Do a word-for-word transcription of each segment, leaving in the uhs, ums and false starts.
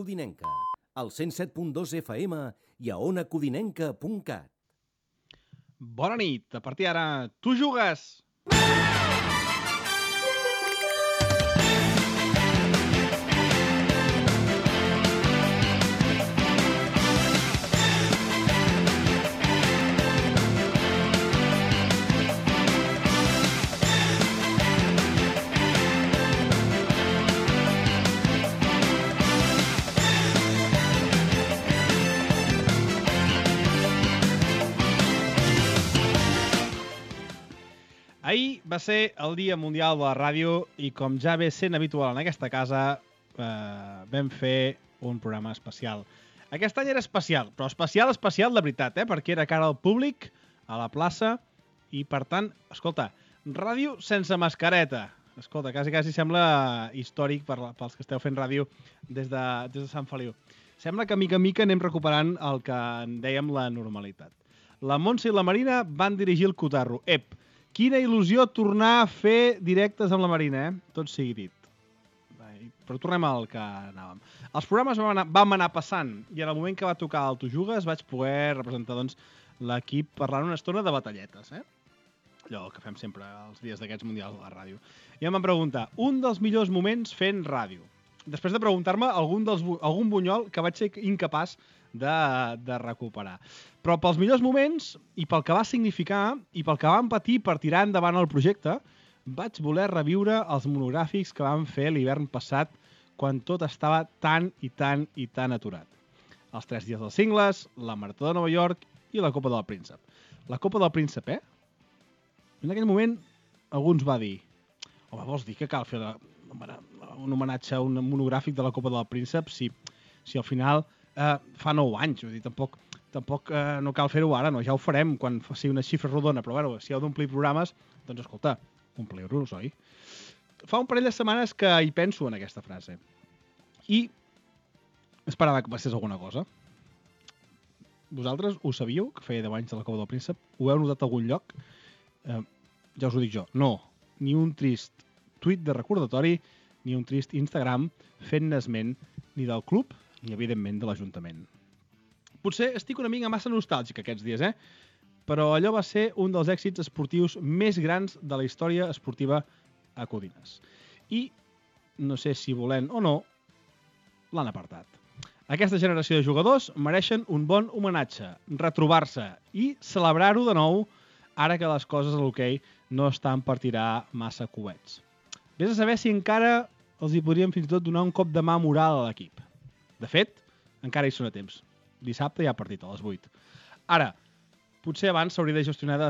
Codinenca, al cent set punt dos F M i a ona codinenca punt cat. Bona nit, a partir d'ara, tu jugues! Ahir va ser el Dia Mundial de la Ràdio i, com ja ve sent habitual en aquesta casa, eh, vam fer un programa especial. Aquest any era especial, però especial, especial de veritat, eh? Perquè era cara al públic, a la plaça, i per tant, escolta, ràdio sense mascareta. Escolta, quasi, quasi sembla històric per, pels que esteu fent ràdio des de, des de Sant Feliu. Sembla que mica en mica anem recuperant el que en dèiem la normalitat. La Montse i la Marina van dirigir el cotarro. Ep! Quina il·lusió tornar a fer directes amb la Marina, eh? Tot sigui dit. Però tornem al que anàvem. Els programes vam anar, vam anar passant i en el moment que va tocar el Tu Jugues vaig poder representar doncs, l'equip parlant una estona de batalletes. Eh? Allò que fem sempre els dies d'aquests mundials a la ràdio. I em van preguntar, un dels millors moments fent ràdio. Després de preguntar-me algun, dels, algun bunyol que vaig ser incapaç de, de recuperar. Però pels millors moments, i pel que va significar, i pel que vam patir per tirar endavant el projecte, vaig voler reviure els monogràfics que vam fer l'hivern passat, quan tot estava tan i tan i tan aturat. Els tres dies dels cingles, la Marató de Nova York i la Copa del Príncep. La Copa del Príncep, eh? En aquell moment, algú ens va dir, home, vols dir que cal fer la, un homenatge, un monogràfic de la Copa del Príncep si, si al final eh, fa nou anys? Vull dir, tampoc... Tampoc eh, no cal fer-ho ara, no? Ja ho farem quan sigui una xifra rodona, però bueno, si heu d'omplir programes, doncs escolta, ompliu-los, oi? Fa un parell de setmanes que hi penso en aquesta frase. I esperava que passés alguna cosa. Vosaltres ho sabíeu, que feia deu anys de la Copa del Príncep? Ho heu notat a algun lloc? Eh, ja us ho dic jo. No, ni un trist tuit de recordatori, ni un trist Instagram fent esment ni del club, ni evidentment de l'Ajuntament. Potser estic una mica massa nostàlgic aquests dies, eh? Però allò va ser un dels èxits esportius més grans de la història esportiva a Codines. I, no sé si volent o no, l'han apartat. Aquesta generació de jugadors mereixen un bon homenatge, retrobar-se i celebrar-ho de nou ara que les coses a l'hoquei no estan per tirar massa coets. Vés a saber si encara els hi podríem fins i tot donar un cop de mà moral a l'equip. De fet, encara hi són a temps. Dissabte hi ha partit a les vuit. Ara, potser abans s'hauria de gestionar de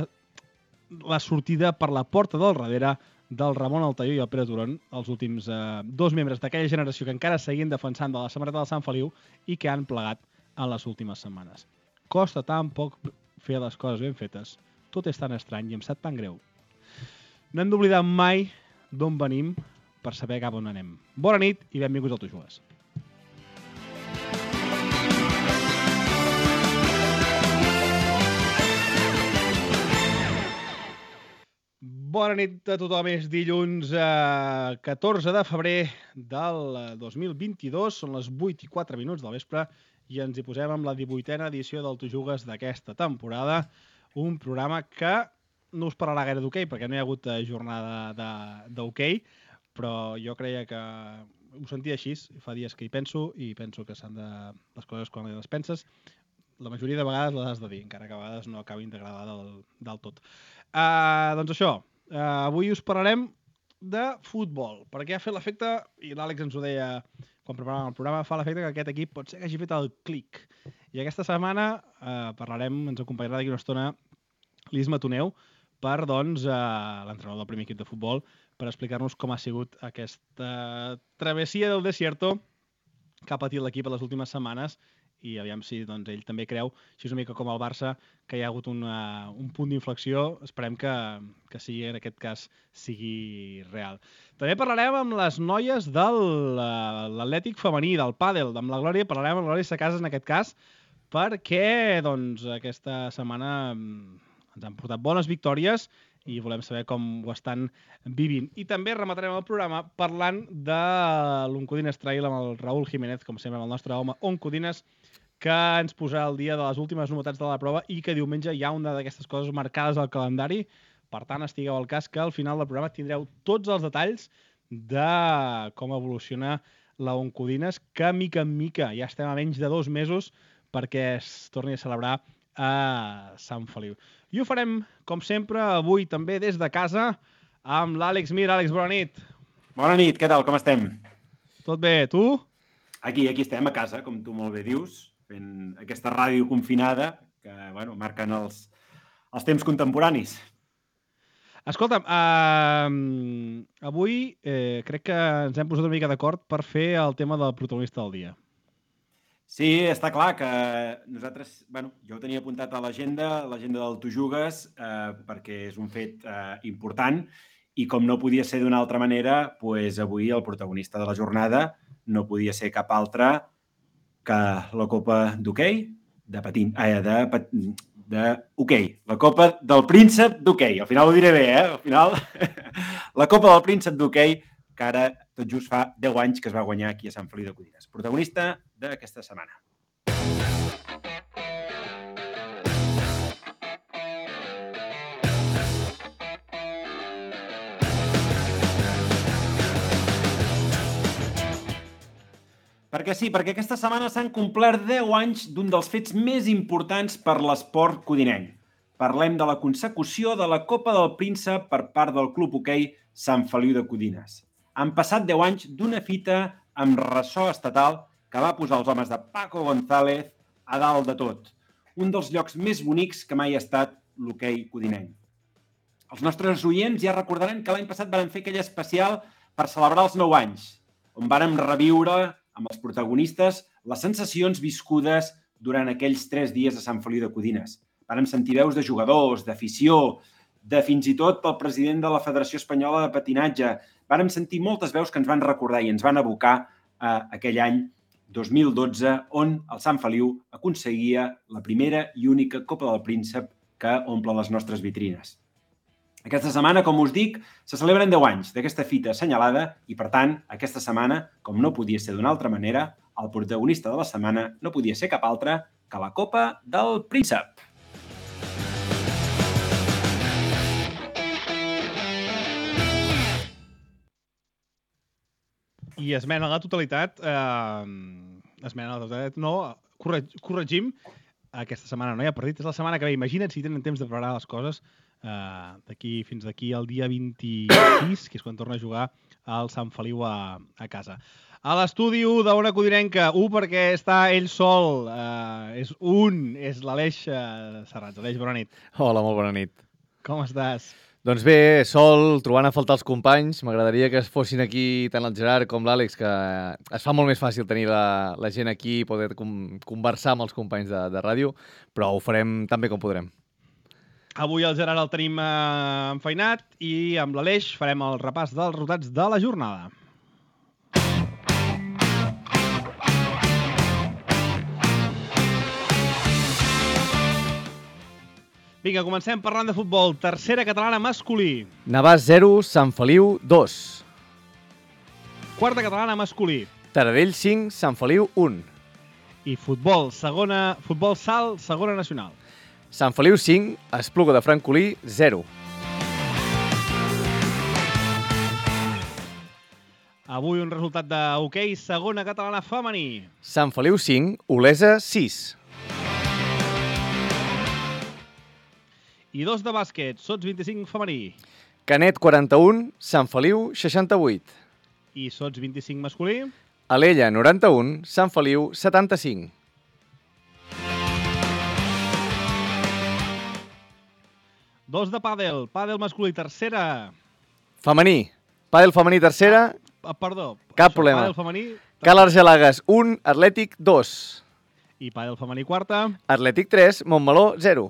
la sortida per la porta del darrere del Ramon Altaió i el Pere Turon, els últims eh, dos membres d'aquella generació que encara seguien defensant de la samarreta del Sant Feliu i que han plegat en les últimes setmanes. Costa tan poc fer les coses ben fetes, tot és tan estrany i em sap tan greu. No hem d'oblidar mai d'on venim per saber cap on anem. Bona nit i benvinguts al Tu Jugues. Bona nit a tothom, és dilluns eh, catorze de febrer del dos mil vint-i-dos, són les vuit i quatre minuts del vespre i ens hi posem amb la divuitena edició del Tu Jugues d'aquesta temporada, un programa que no us parlarà gaire d'hoquei perquè no hi ha hagut jornada d'hoquei, però jo creia que ho sentia així, fa dies que hi penso i penso que s'han de les coses quan les penses, la majoria de vegades les has de dir, encara que a vegades no acabin d'agradar del, del tot. Uh, doncs això, Uh, avui us parlarem de futbol, perquè ha fet l'efecte, i l'Àlex ens ho deia quan preparàvem el programa, fa l'efecte que aquest equip pot ser que hagi fet el clic. I aquesta setmana uh, parlarem, ens acompanyarà d'aquí una estona l'Isma Toneu, per doncs, uh, l'entrenador del primer equip de futbol, per explicar-nos com ha sigut aquesta travessia del desierto que ha patit l'equip a les últimes setmanes i aviam si doncs, ell també creu, així una mica com el Barça, que hi ha hagut una, un punt d'inflexió. Esperem que, que sigui, en aquest cas sigui real. També parlarem amb les noies de l'Atlètic femení, del pàdel, amb la Glòria, parlarem amb la Glòria Sacasas en aquest cas, perquè doncs, aquesta setmana ens han portat bones victòries i volem saber com ho estan vivint. I també rematarem el programa parlant de l'Oncodines Trail amb el Raúl Jiménez, com sempre, amb el nostre home Oncodines, que ens posarà al dia de les últimes novetats de la prova i que diumenge hi ha una d'aquestes coses marcades al calendari. Per tant, estigueu al cas que al final del programa tindreu tots els detalls de com evoluciona la Oncodines, que mica en mica ja estem a menys de dos mesos perquè es torni a celebrar a Sant Feliu. I ho farem, com sempre, avui també des de casa amb l'Àlex Mir. Àlex, bona nit. Bona nit, què tal? Com estem? Tot bé, tu? Aquí, aquí estem, a casa, com tu molt bé dius, fent aquesta ràdio confinada que, bueno, marquen els, els temps contemporanis. Escolta'm, uh, avui eh, crec que ens hem posat una mica d'acord per fer el tema del protagonista del dia. Sí, està clar que nosaltres, bueno, jo ho tenia apuntat a l'agenda, l'agenda del Tu Jugues, eh, perquè és un fet eh, important i com no podia ser d'una altra manera, pues avui el protagonista de la jornada no podia ser cap altre que la Copa d'Hoquei de patin, eh, de, de hoquei, la Copa del Príncep d'Hoquei. Al final ho diré bé, eh? Al final, la Copa del Príncep d'Hoquei, que ara tot just fa deu anys que es va guanyar aquí a Sant Feliu de Codines. Protagonista d'aquesta setmana. Perquè sí, perquè aquesta setmana s'han complert deu anys d'un dels fets més importants per l'esport codinenc. Parlem de la consecució de la Copa del Príncep per part del Club Hoquei Sant Feliu de Codines. Han passat deu anys d'una fita amb ressò estatal que va posar els homes de Paco González a dalt de tot. Un dels llocs més bonics que mai ha estat l'hoquei codinenc. Els nostres oients ja recordaran que l'any passat vam fer aquell especial per celebrar els nou anys, on vàrem reviure amb els protagonistes les sensacions viscudes durant aquells tres dies a Sant Feliu de Codines. Vàrem sentir veus de jugadors, d'afició, de fins i tot pel president de la Federació Espanyola de Patinatge. Vàrem sentir moltes veus que ens van recordar i ens van abocar a aquell any dos mil dotze, on el Sant Feliu aconseguia la primera i única Copa del Príncep que omple les nostres vitrines. Aquesta setmana, com us dic, se celebren deu anys d'aquesta fita assenyalada i, per tant, aquesta setmana, com no podia ser d'una altra manera, el protagonista de la setmana no podia ser cap altre que la Copa del Príncep. I esmena a la totalitat, eh, esmena a la totalitat, no, correg, corregim, aquesta setmana no hi ha partit, és la setmana que ve. Imagina't si tenen temps de preparar les coses eh, d'aquí fins d'aquí al dia vint-i-sis, que és quan torna a jugar el Sant Feliu a, a casa. A l'estudi u d'Ona Codinenca, u perquè està ell sol, eh, és un, és l'Aleix eh, Serrats. Aleix, bona nit. Hola, molt bona nit. Com estàs? Doncs bé, sol, trobant a faltar els companys. M'agradaria que es fossin aquí tant el Gerard com l'Àlex, que es fa molt més fàcil tenir la, la gent aquí i poder com, conversar amb els companys de, de ràdio, però ho farem tan bé com podrem. Avui el Gerard el tenim eh, enfeinat i amb l'Aleix farem el repàs dels resultats de la jornada. Vinga, comencem parlant de futbol. Tercera catalana masculí. Navàs zero, Sant Feliu dos. Quarta catalana masculí. Taradell cinc, Sant Feliu un. I futbol, segona, futbol sal, segona nacional. Sant Feliu cinc, Espluga de Francolí zero. Avui un resultat de hoquei, segona catalana femení. Sant Feliu cinc, Olesa sis. I dos de bàsquet, Sots vint-i-cinc femení. Canet quaranta-un, Sant Feliu seixanta-vuit. I Sots vint-i-cinc masculí. Alella noranta-un, Sant Feliu setanta-cinc. Dos de pàdel, pàdel masculí, tercera. Femení, pàdel femení tercera. Ah, perdó. Cap Això, problema. Pàdel femení. Cal Argelagues un, Atlètic dos. I pàdel femení quarta. Atlètic tres, Montmeló zero.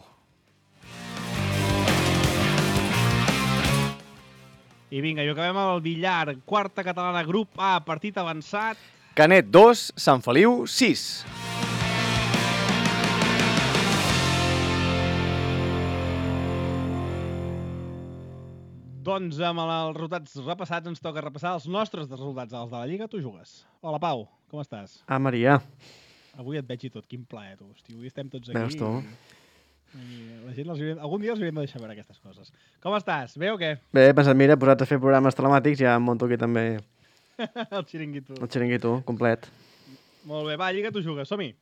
I vinga, i acabem amb el billar. Quarta catalana, grup A, partit avançat. Canet dos, Sant Feliu sis. Doncs amb els resultats repassats ens toca repassar els nostres resultats dels de la Lliga. Tu jugues. Hola, Pau, com estàs? Ah, Maria. Avui et veig i tot, quin plaer, tu. Hosti, avui estem tots aquí. Veus tu? I la gent els hauria... Algun dia els hauríem de deixar veure aquestes coses. Com estàs? Bé o què? Bé, he pensat, mira, posats a fer programes telemàtics, ja em monto aquí també El xiringuito. el xiringuito complet. Molt bé, va, Lliga, tu jugues, som-hi.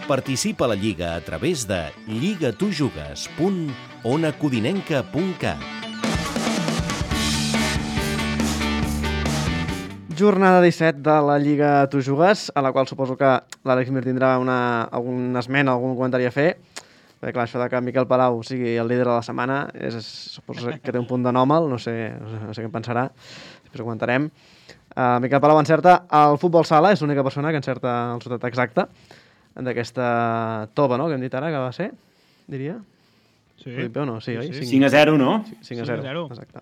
Participa a la Lliga a través de lligatujugues punt onacodinenca punt cat. Jornada disset de la Lliga Tu Jugues, a la qual suposo que l'Àlex Mir tindrà una, alguna esmena, algun comentari a fer. Perquè clar, això de que Miquel Palau sigui el líder de la setmana, és, suposo que té un punt d'anòmal, no sé, no sé què en pensarà, després ho comentarem. Uh, Miquel Palau encerta el futbol sala, és l'única persona que encerta el resultat exacte d'aquesta tova, no?, que hem dit ara, que va ser, diria? Sí. Ho dic bé o no? Sí, oi? Sí, sí. cinc a zero, no? cinc a zero, cinc a zero. exacte.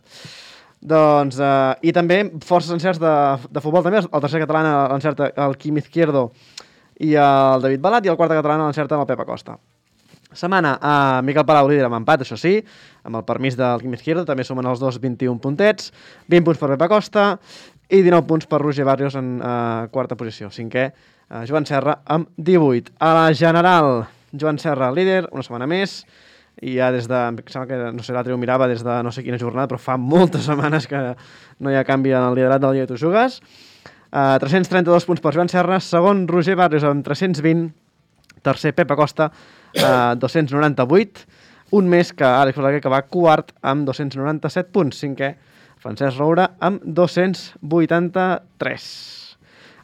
Doncs, eh, i també forces encerts de, de futbol, també, el tercer català l'encerta el Quim Izquierdo i el David Balat, i el quart català l'encerta el Pep Acosta. Setmana a Miquel Palau líder amb empat, això sí, amb el permís del Quim Izquierdo, també sumen els dos vint-i-un puntets, vint punts per Pep Acosta i dinou punts per Roger Barrios en eh, quarta posició. Cinquè, eh, Joan Serra amb divuit. A la general, Joan Serra líder, una setmana més, i ja des de, em sembla que, no sé, l'altre ho mirava des de no sé quina jornada, però fa moltes setmanes que no hi ha canvi en el liderat del Lliga Tu Jugues. Uh, tres-cents trenta-dos punts per Joan Serra, segon Roger Barrios amb tres-cents vint, tercer Pep Acosta, uh, dos-cents noranta-vuit, un més que Àlex Balaguer, que va quart amb dos-cents noranta-set punts, cinquè Francesc Roura amb dos-cents vuitanta-tres.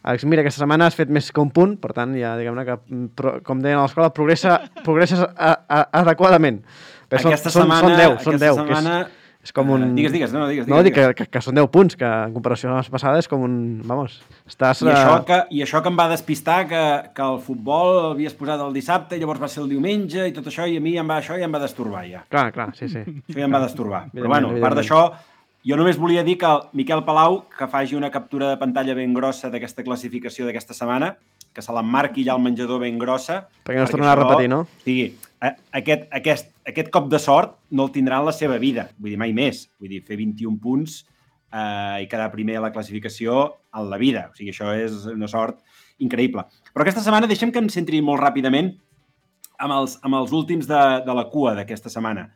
Àlex, mira, aquesta setmana has fet més que un punt, per tant, ja diguem-ne que, com deien a l'escola, progressa, progresses a, a, adequadament. Però aquesta són, setmana... són deu, són aquesta deu, setmana... que és, és com un... Uh, digues, digues, no, digues. No, digues, dic que, que, que són deu punts, que en comparació amb la passada és com un... Vamos, estàs... I això, que, I això que em va despistar, que, que el futbol l'havies posat el dissabte, llavors va ser el diumenge i tot això, i a mi em va, això ja em va destorbar, ja. Clar, clar, sí, sí. Això ja em va destorbar. Però Evidentment, bueno, a part evidentment. d'això, jo només volia dir que el Miquel Palau, que faci una captura de pantalla ben grossa d'aquesta classificació d'aquesta setmana, que se l'emmarqui ja al menjador ben grossa. Perquè no es tornarà a repetir, no? Sí, aquest, aquest, aquest cop de sort no el tindrà en la seva vida, vull dir, mai més. Vull dir, fer vint-i-un punts eh, i quedar primer a la classificació en la vida. O sigui, això és una sort increïble. Però aquesta setmana deixem que em centri molt ràpidament amb els, amb els últims de, de la cua d'aquesta setmana.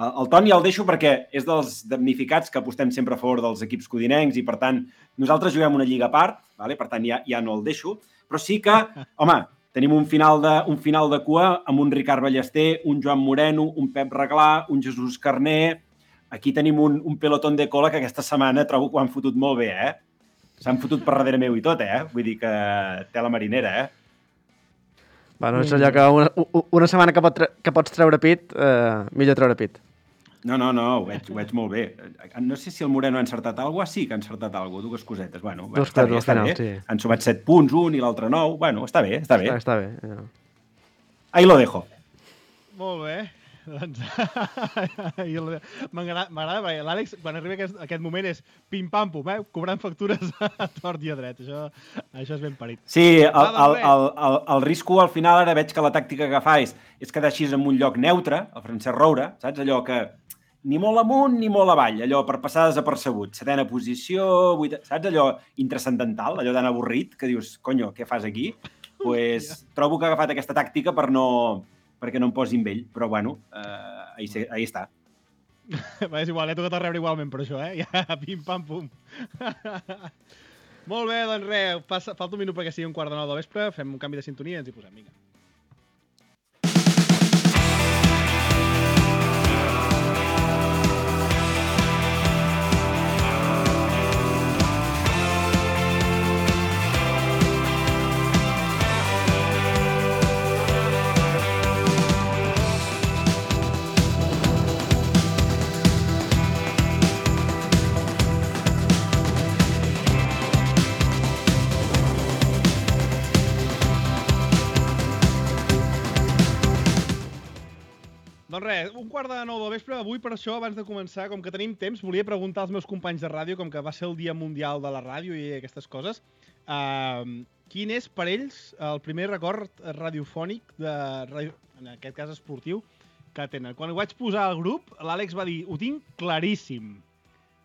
El, el Toni el deixo perquè és dels damnificats que apostem sempre a favor dels equips codinencs i, per tant, nosaltres juguem una lliga a part, vale? Per tant, ja, ja no el deixo, però sí que, home, tenim un final, de, un final de cua amb un Ricard Ballester, un Joan Moreno, un Pep Reglà, un Jesús Carner. Aquí tenim un, un pelotón de cola que aquesta setmana trobo que ho han fotut molt bé, eh? S'han fotut per darrere meu i tot, eh? Vull dir que té la marinera, eh? Bueno, és allò que una, una setmana que, pot tre que pots treure pit, eh, millor treure pit. No, no, no, ho veig, ho veig molt bé. No sé si el Moreno ha encertat alguna cosa. Sí que ha encertat alguna cosa, dues cosetes. Bueno, Dos està cosetes bé, al està final, bé. sí. Han sumat set punts, un i l'altre nou. Bueno, està bé, està bé. Està, està bé. Ja. Ahí lo dejo. Molt bé. Doncs m'agrada perquè l'Àlex, quan arriba aquest, aquest moment, és pim-pam-pum, eh? Cobrant factures a tort i a dret. Això, això és ben parit. Sí, el, el, el, el, el risco al final, ara veig que la tàctica que fa és, és quedar així en un lloc neutre, el Francesc Roura, saps? Allò que ni molt amunt ni molt avall, allò per passar desapercebut. Setena posició, vuit... saps? Allò intranscendental, allò tan avorrit, que dius, conyo, què fas aquí? Pues trobo que ha agafat aquesta tàctica per no... perquè no em posi amb ell, però bueno, eh, ahí, ahí està. Va, és igual, he tocat a rebre igualment per això, eh? Ja, pim-pam-pum. Molt bé, doncs res, passa, falta un minut perquè sigui un quart de nou del vespre, fem un canvi de sintonia i ens hi posem, vinga. res, un quart de nou del vespre. Avui, per això, abans de començar, com que tenim temps, volia preguntar als meus companys de ràdio, com que va ser el Dia Mundial de la Ràdio i aquestes coses, uh, quin és per ells el primer record radiofònic, de radio, en aquest cas esportiu, que tenen. Quan ho vaig posar al grup, l'Àlex va dir, ho tinc claríssim.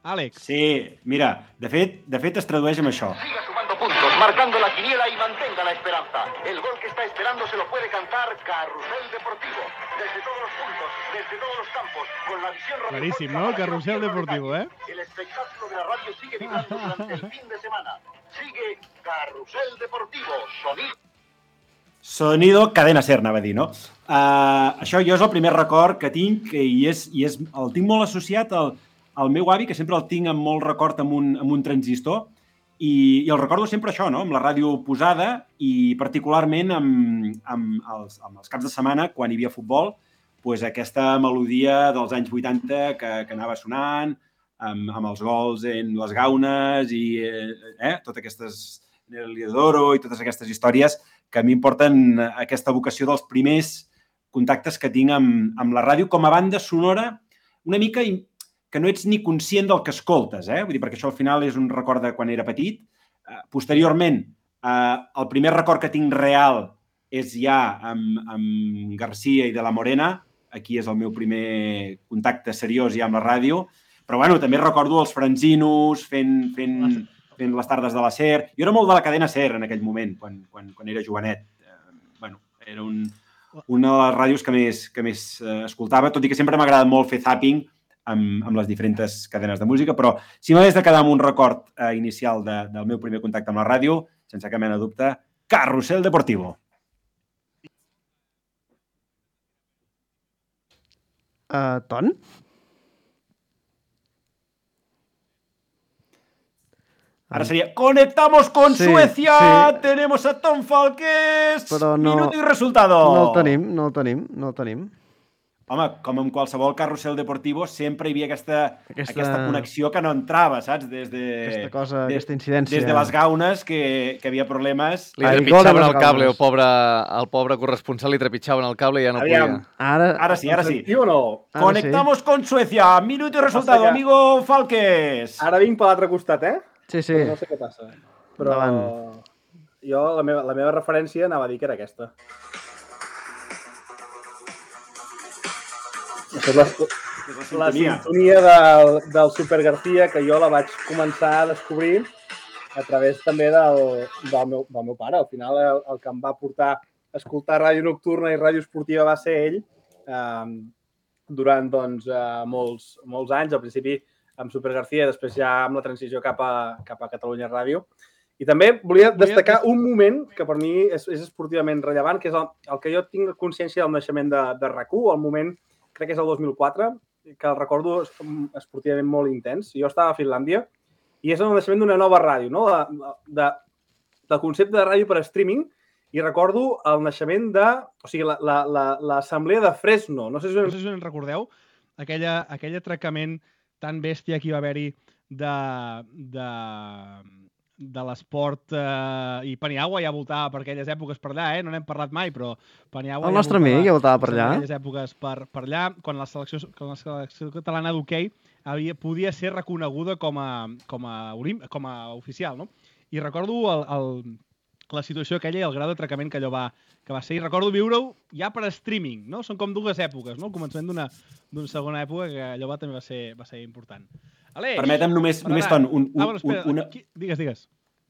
Àlex. Sí, mira, de fet, de fet es tradueix amb això. Siga sumando puntos, marcando la quiniela y mantenga la esperanza. El gol que está esperando se lo puede cantar Carrusel Deportivo. Desde todos los puntos, desde todos los campos, con la visión... Claríssim, ¿no? El Carrusel Deportivo, ¿eh? El espectáculo de la radio sigue vibrando durante el fin de semana. Sigue Carrusel Deportivo, sonido... Sonido cadena ser, anava a dir, no? Uh, això jo és el primer record que tinc i, és, i és, el tinc molt associat al, al meu avi, que sempre el tinc amb molt record amb un, amb un transistor, i, i el recordo sempre això, no? Amb la ràdio posada i particularment amb, amb, els, amb els caps de setmana, quan hi havia futbol, pues aquesta melodia dels anys vuitanta que, que anava sonant, amb, amb els gols en les gaunes i eh, totes aquestes... el Liodoro i totes aquestes històries que a mi em porten aquesta vocació dels primers contactes que tinc amb, amb la ràdio com a banda sonora, una mica que no ets ni conscient del que escoltes, eh? Vull dir, perquè això al final és un record de quan era petit. Uh, posteriorment, uh, el primer record que tinc real és ja amb, amb Garcia i de la Morena. Aquí és el meu primer contacte seriós ja amb la ràdio. Però, bueno, també recordo els franzinos fent... fent fent les tardes de la SER. Jo era molt de la cadena SER en aquell moment, quan, quan, quan era jovenet. Eh, bueno, era un, una de les ràdios que més, que més eh, escoltava, tot i que sempre m'ha agradat molt fer zapping amb, amb les diferents cadenes de música, però si m'hagués de quedar amb un record eh, inicial de, del meu primer contacte amb la ràdio, sense cap mena de dubte, Carrusel Deportivo. Uh, Ton? Ara seria, conectamos con sí, Suecia, sí. Tenemos a Tom Falqués, no, minuto i resultado. No el tenim, no el tenim, no el tenim. Home, com en qualsevol carrusel deportivo, sempre hi havia aquesta, aquesta... aquesta connexió que no entrava, saps? Des de, aquesta cosa, des, aquesta incidència. Des de les gaunes, que, que havia problemes. Li trepitjaven el cable, el pobre, el pobre corresponsal li trepitjaven el cable i ja no Aviam. podia. Ara, ara sí, ara sí. Sí o no? Ara Conectamos sí. con Suecia, minuto i resultado, que... amigo Falqués. Ara vinc per l'altre costat, eh? Sí, sí. Però no sé què passa. Però Davant. Jo, la meva, la meva referència anava a dir que era aquesta. Això és la, la, la sintonia del, del Super García, que jo la vaig començar a descobrir a través també del, del, meu, del meu pare. Al final, el, el que em va portar a escoltar ràdio nocturna i ràdio esportiva va ser ell eh, durant doncs, eh, molts, molts anys. Al principi amb Super García, després ja amb la transició cap a, cap a Catalunya Ràdio. I també volia destacar un moment que per mi és, és esportivament rellevant, que és el, el que jo tinc consciència del naixement de, de RAC u, el moment, crec que és el dos mil quatre, que el recordo esportivament molt intens. Jo estava a Finlàndia i és el naixement d'una nova ràdio, no? de, de, del concepte de ràdio per streaming, i recordo el naixement de... O sigui, l'assemblea la, la, de Fresno. No sé si, no sé si us en recordeu, aquella, aquell atracament tan bèstia que hi va haver-hi de, de, de l'esport eh, i Paniagua ja voltava per aquelles èpoques per allà, eh? No n'hem parlat mai, però Paniagua el nostre amic ja voltava per allà. Per aquelles èpoques per, per allà, quan la selecció, quan la selecció catalana d'hoquei havia podia ser reconeguda com a, com a, com a oficial, no? I recordo el, el, la situació aquella i el grau d'atracament que allò va, que va ser. I recordo viure-ho ja per streaming, no? Són com dues èpoques, no? El començament d'una d'una segona època que allò va, també va ser, va ser important. Aleix! Permetem només, només Ton, un, un, ah, bueno, espera, una... Digues, digues.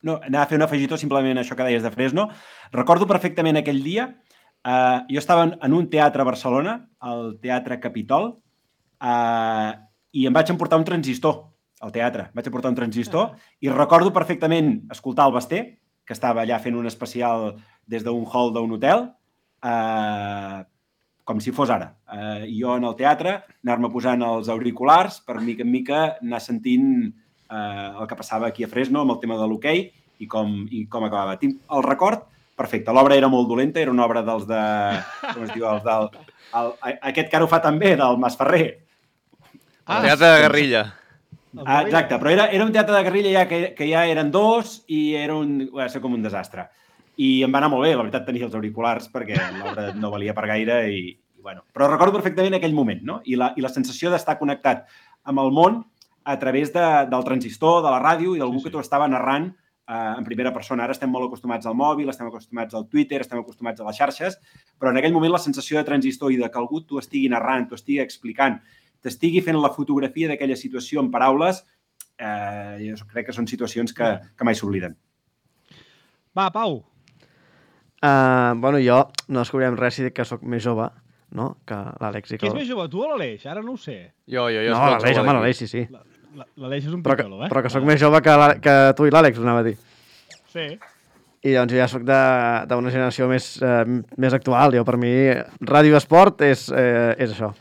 No, anava a fer un afegitó simplement això que deies de Fresno. Recordo perfectament aquell dia, eh, jo estava en un teatre a Barcelona, el Teatre Capitol, eh, i em vaig emportar un transistor al teatre. Vaig emportar un transistor ah. i recordo perfectament escoltar el Basté, que estava allà fent un especial des d'un hall d'un hotel, eh, com si fos ara. Eh, I jo en el teatre, anar-me posant els auriculars per mica en mica anar sentint eh, el que passava aquí a Fresno amb el tema de l'hoquei i, com, i com acabava. Tinc el record perfecte. L'obra era molt dolenta, era una obra dels de... Com es diu? Els del, el, aquest que ara ho fa també, del Masferrer. Ah, el teatre de guerrilla. Ah, exacte, però era, era un teatre de guerrilla ja que, que ja eren dos i era un, va ser com un desastre. I em va anar molt bé, la veritat, tenir els auriculars perquè l'obra no valia per gaire i, bueno, però recordo perfectament aquell moment, no? I la, i la sensació d'estar connectat amb el món a través de, del transistor, de la ràdio i d'algú sí, sí. que t'ho estava narrant eh, en primera persona. Ara estem molt acostumats al mòbil, estem acostumats al Twitter, estem acostumats a les xarxes, però en aquell moment la sensació de transistor i de que algú t'ho estigui narrant, t'ho estigui explicant, t'estigui fent la fotografia d'aquella situació en paraules, eh, jo crec que són situacions que, que mai s'obliden. Va, Pau. Uh, bueno, jo no descobrirem res si dic que sóc més jove, no?, que l'Àlex. I que... Qui és més jove, tu o l'Aleix? Ara no ho sé. Jo, jo, jo. No, l'Aleix, home, l'Aleix, sí, sí. L'Aleix és un però pitjolo, que, eh? Però que sóc més jove que, que tu i l'Àlex, ho anava a dir. Sí. I doncs jo ja sóc d'una generació més, eh, més actual. Jo, per mi, ràdio esport és, eh, és això.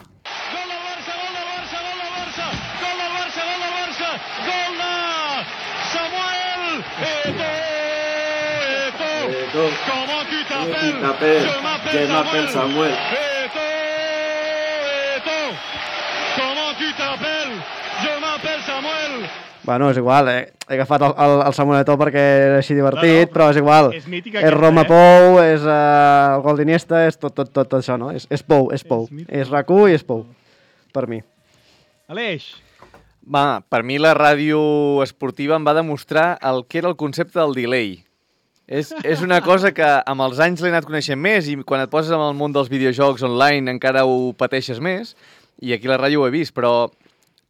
Comment tu t'appelles? Je m'appelle Samuel. Eto, Eto. Comment tu t'appelles? Je m'appelle Samuel. Bueno, és igual, eh? He agafat el, el, el Samuel Eto'o perquè era així divertit, no, no, però, però és igual. És, és Roma eh? Pou, és uh, el gol d'Iniesta, és tot, tot, tot, tot això, no? És, és Pou, és Pou. És, és RAC u i és Pou, per mi. Aleix. Va, per mi la ràdio esportiva em va demostrar el que era el concepte del delay. És, és una cosa que amb els anys l'he anat coneixent més i quan et poses en el món dels videojocs online encara ho pateixes més i aquí la ràdio ho he vist, però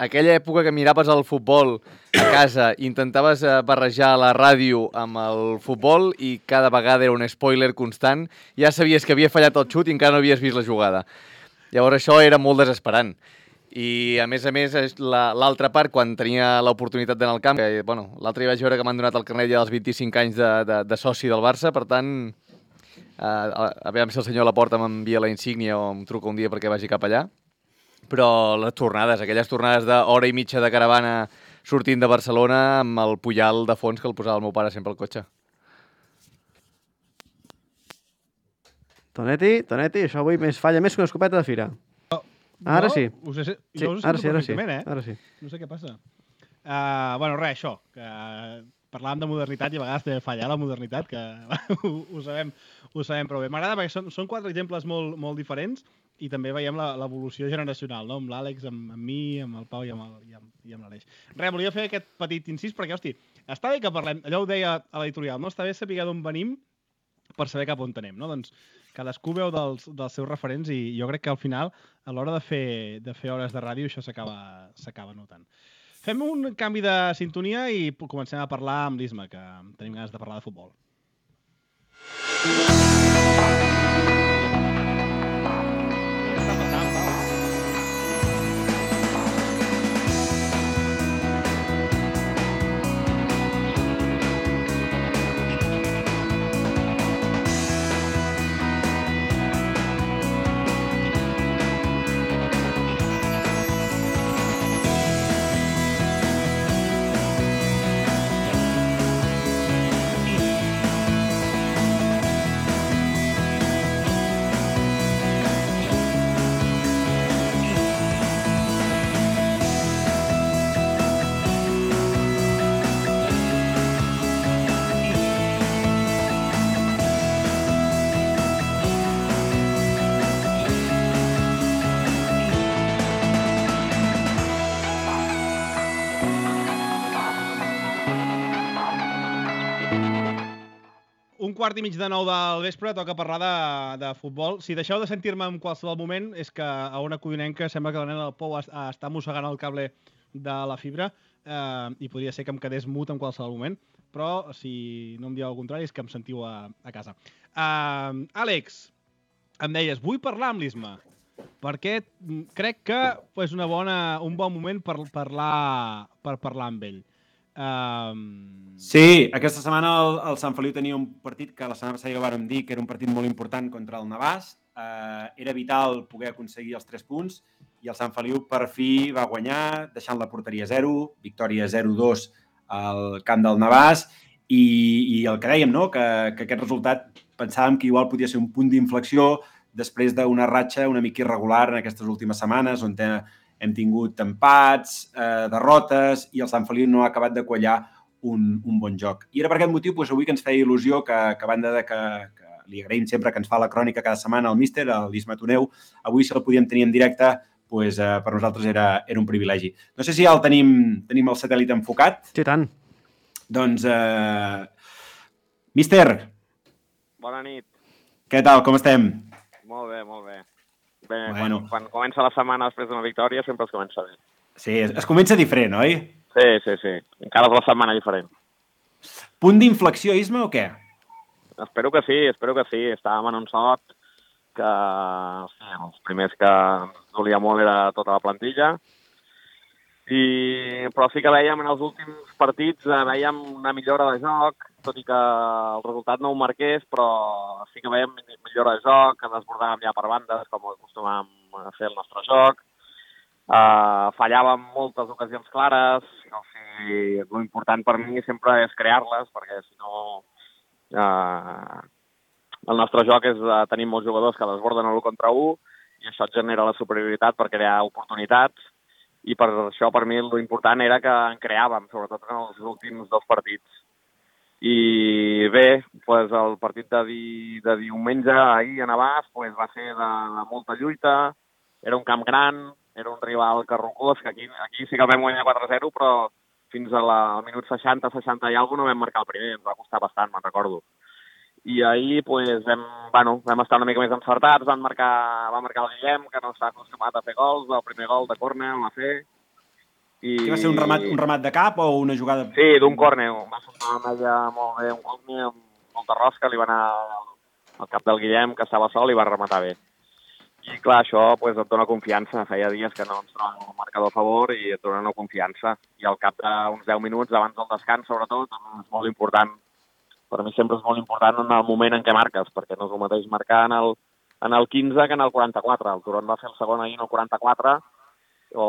aquella època que miraves el futbol a casa i intentaves barrejar la ràdio amb el futbol i cada vegada era un spoiler constant, ja sabies que havia fallat el xut i encara no havies vist la jugada. Llavors això era molt desesperant. I, a més a més, l'altra part, quan tenia l'oportunitat d'anar al camp, que, bueno, l'altre dia vaig veure que m'han donat el carnet ja dels vint-i-cinc anys de, de, de soci del Barça, per tant, eh, a veure si el senyor Laporta m'envia la insígnia o em truca un dia perquè vagi cap allà. Però les tornades, aquelles tornades d'hora i mitja de caravana sortint de Barcelona amb el Pujal de fons que el posava el meu pare sempre al cotxe. Tonetti, Tonetti, això avui més falla més que una escopeta de fira. Ara sí. Us he, sí, jo us ara sí, ara sí. Eh? Ara sí. No sé què passa. Uh, bueno, res, això. Que parlàvem de modernitat i a vegades també falla la modernitat, que ho, ho, sabem, ho sabem prou bé. M'agrada perquè són, són quatre exemples molt, molt diferents i també veiem l'evolució generacional, no? Amb l'Àlex, amb, amb mi, amb el Pau i amb, el, i amb, i amb l'Aleix. Res, volia fer aquest petit incís perquè, hosti, està bé que parlem, allò ho deia a l'editorial, no? Està bé saber d'on venim per saber cap on anem, no? Doncs cadascú veu dels, dels seus referents i jo crec que al final, a l'hora de fer, de fer hores de ràdio, això s'acaba notant. Fem un canvi de sintonia i comencem a parlar amb l'Isma, que tenim ganes de parlar de futbol. Quart i mig de nou del vespre, toca parlar de, de futbol. Si deixeu de sentir-me en qualsevol moment, és que a una codinenca sembla que la nena del Pou està mossegant el cable de la fibra eh, i podria ser que em quedés mut en qualsevol moment, però si no em dieu el contrari és que em sentiu a, a casa. Uh, Àlex, em deies, vull parlar amb l'Isma, perquè crec que és una bona, un bon moment per parlar, per parlar amb ell. Um... Sí, aquesta setmana el, el Sant Feliu tenia un partit que la setmana passada ja vàrem dir que era un partit molt important contra el Navàs. Uh, era vital poder aconseguir els tres punts i el Sant Feliu per fi va guanyar, deixant la porteria a zero, victòria zero dos al camp del Navàs i, i el que dèiem, no? que, que aquest resultat pensàvem que igual podia ser un punt d'inflexió després d'una ratxa una mica irregular en aquestes últimes setmanes on té hem tingut empats, eh, derrotes i el Sant Feliu no ha acabat de quallar un, un bon joc. I era per aquest motiu doncs, avui que ens feia il·lusió que, que a banda de que, que li agraïm sempre que ens fa la crònica cada setmana al míster, a l'Isma Toneu. Avui, si el podíem tenir en directe, doncs, eh, per nosaltres era, era un privilegi. No sé si ja el tenim, tenim el satèl·lit enfocat. Sí, tant. Doncs, eh, míster. Bona nit. Què tal, com estem? Molt bé, molt bé. Bé, Bueno. quan, quan comença la setmana després d'una victòria sempre es comença bé. Sí, es, es comença diferent, oi? Sí, sí, sí. Encara és la setmana diferent. Punt d'inflexió, Isma, o què? Espero que sí, espero que sí. Estàvem en un sot que sí, els primers que ens dolia molt era tota la plantilla, I, però sí que veiem en els últims partits, eh, veiem una millora de joc, tot i que el resultat no ho marqués, però sí que veiem millora de joc, que desbordàvem ja per bandes, com acostumàvem a fer el nostre joc. Uh, fallàvem moltes ocasions clares, o sigui, l'important per mi sempre és crear-les, perquè si no uh, el nostre joc és uh, tenir molts jugadors que desborden l'u contra u i això et genera la superioritat per crear oportunitats, i per això per mi l'important era que en creàvem, sobretot en els últims dos partits. I bé, pues, el partit de, di, de diumenge ahir a Navàs pues, va ser de, de molta lluita, era un camp gran, era un rival carrocós, que aquí, aquí sí que el vam guanyar quatre a zero, però fins a la, al minut seixanta, seixanta i alguna cosa no vam marcar el primer, ens va costar bastant, me'n recordo. I ahir pues, vam, bueno, vam estar una mica més encertats, van marcar, va marcar el Guillem, que no s'ha acostumat a fer gols, el primer gol de córner el va fer. I... Què va ser, un remat, un remat de cap o una jugada... Sí, d'un córner, va sortir una meia molt bé, un córner amb molta rosca, li va anar al cap del Guillem, que estava sol, i va rematar bé. I clar, això pues, et dona confiança. Feia dies que no ens trobàvem el marcador a favor i et dona una confiança. I al cap d'uns deu minuts, abans del descans, sobretot, és molt important. Per mi sempre és molt important en el moment en què marques, perquè no és el mateix marcar en el, en el quinze que en el quaranta-quatre. El Turon va fer el segon ahir en el quaranta-quatre, o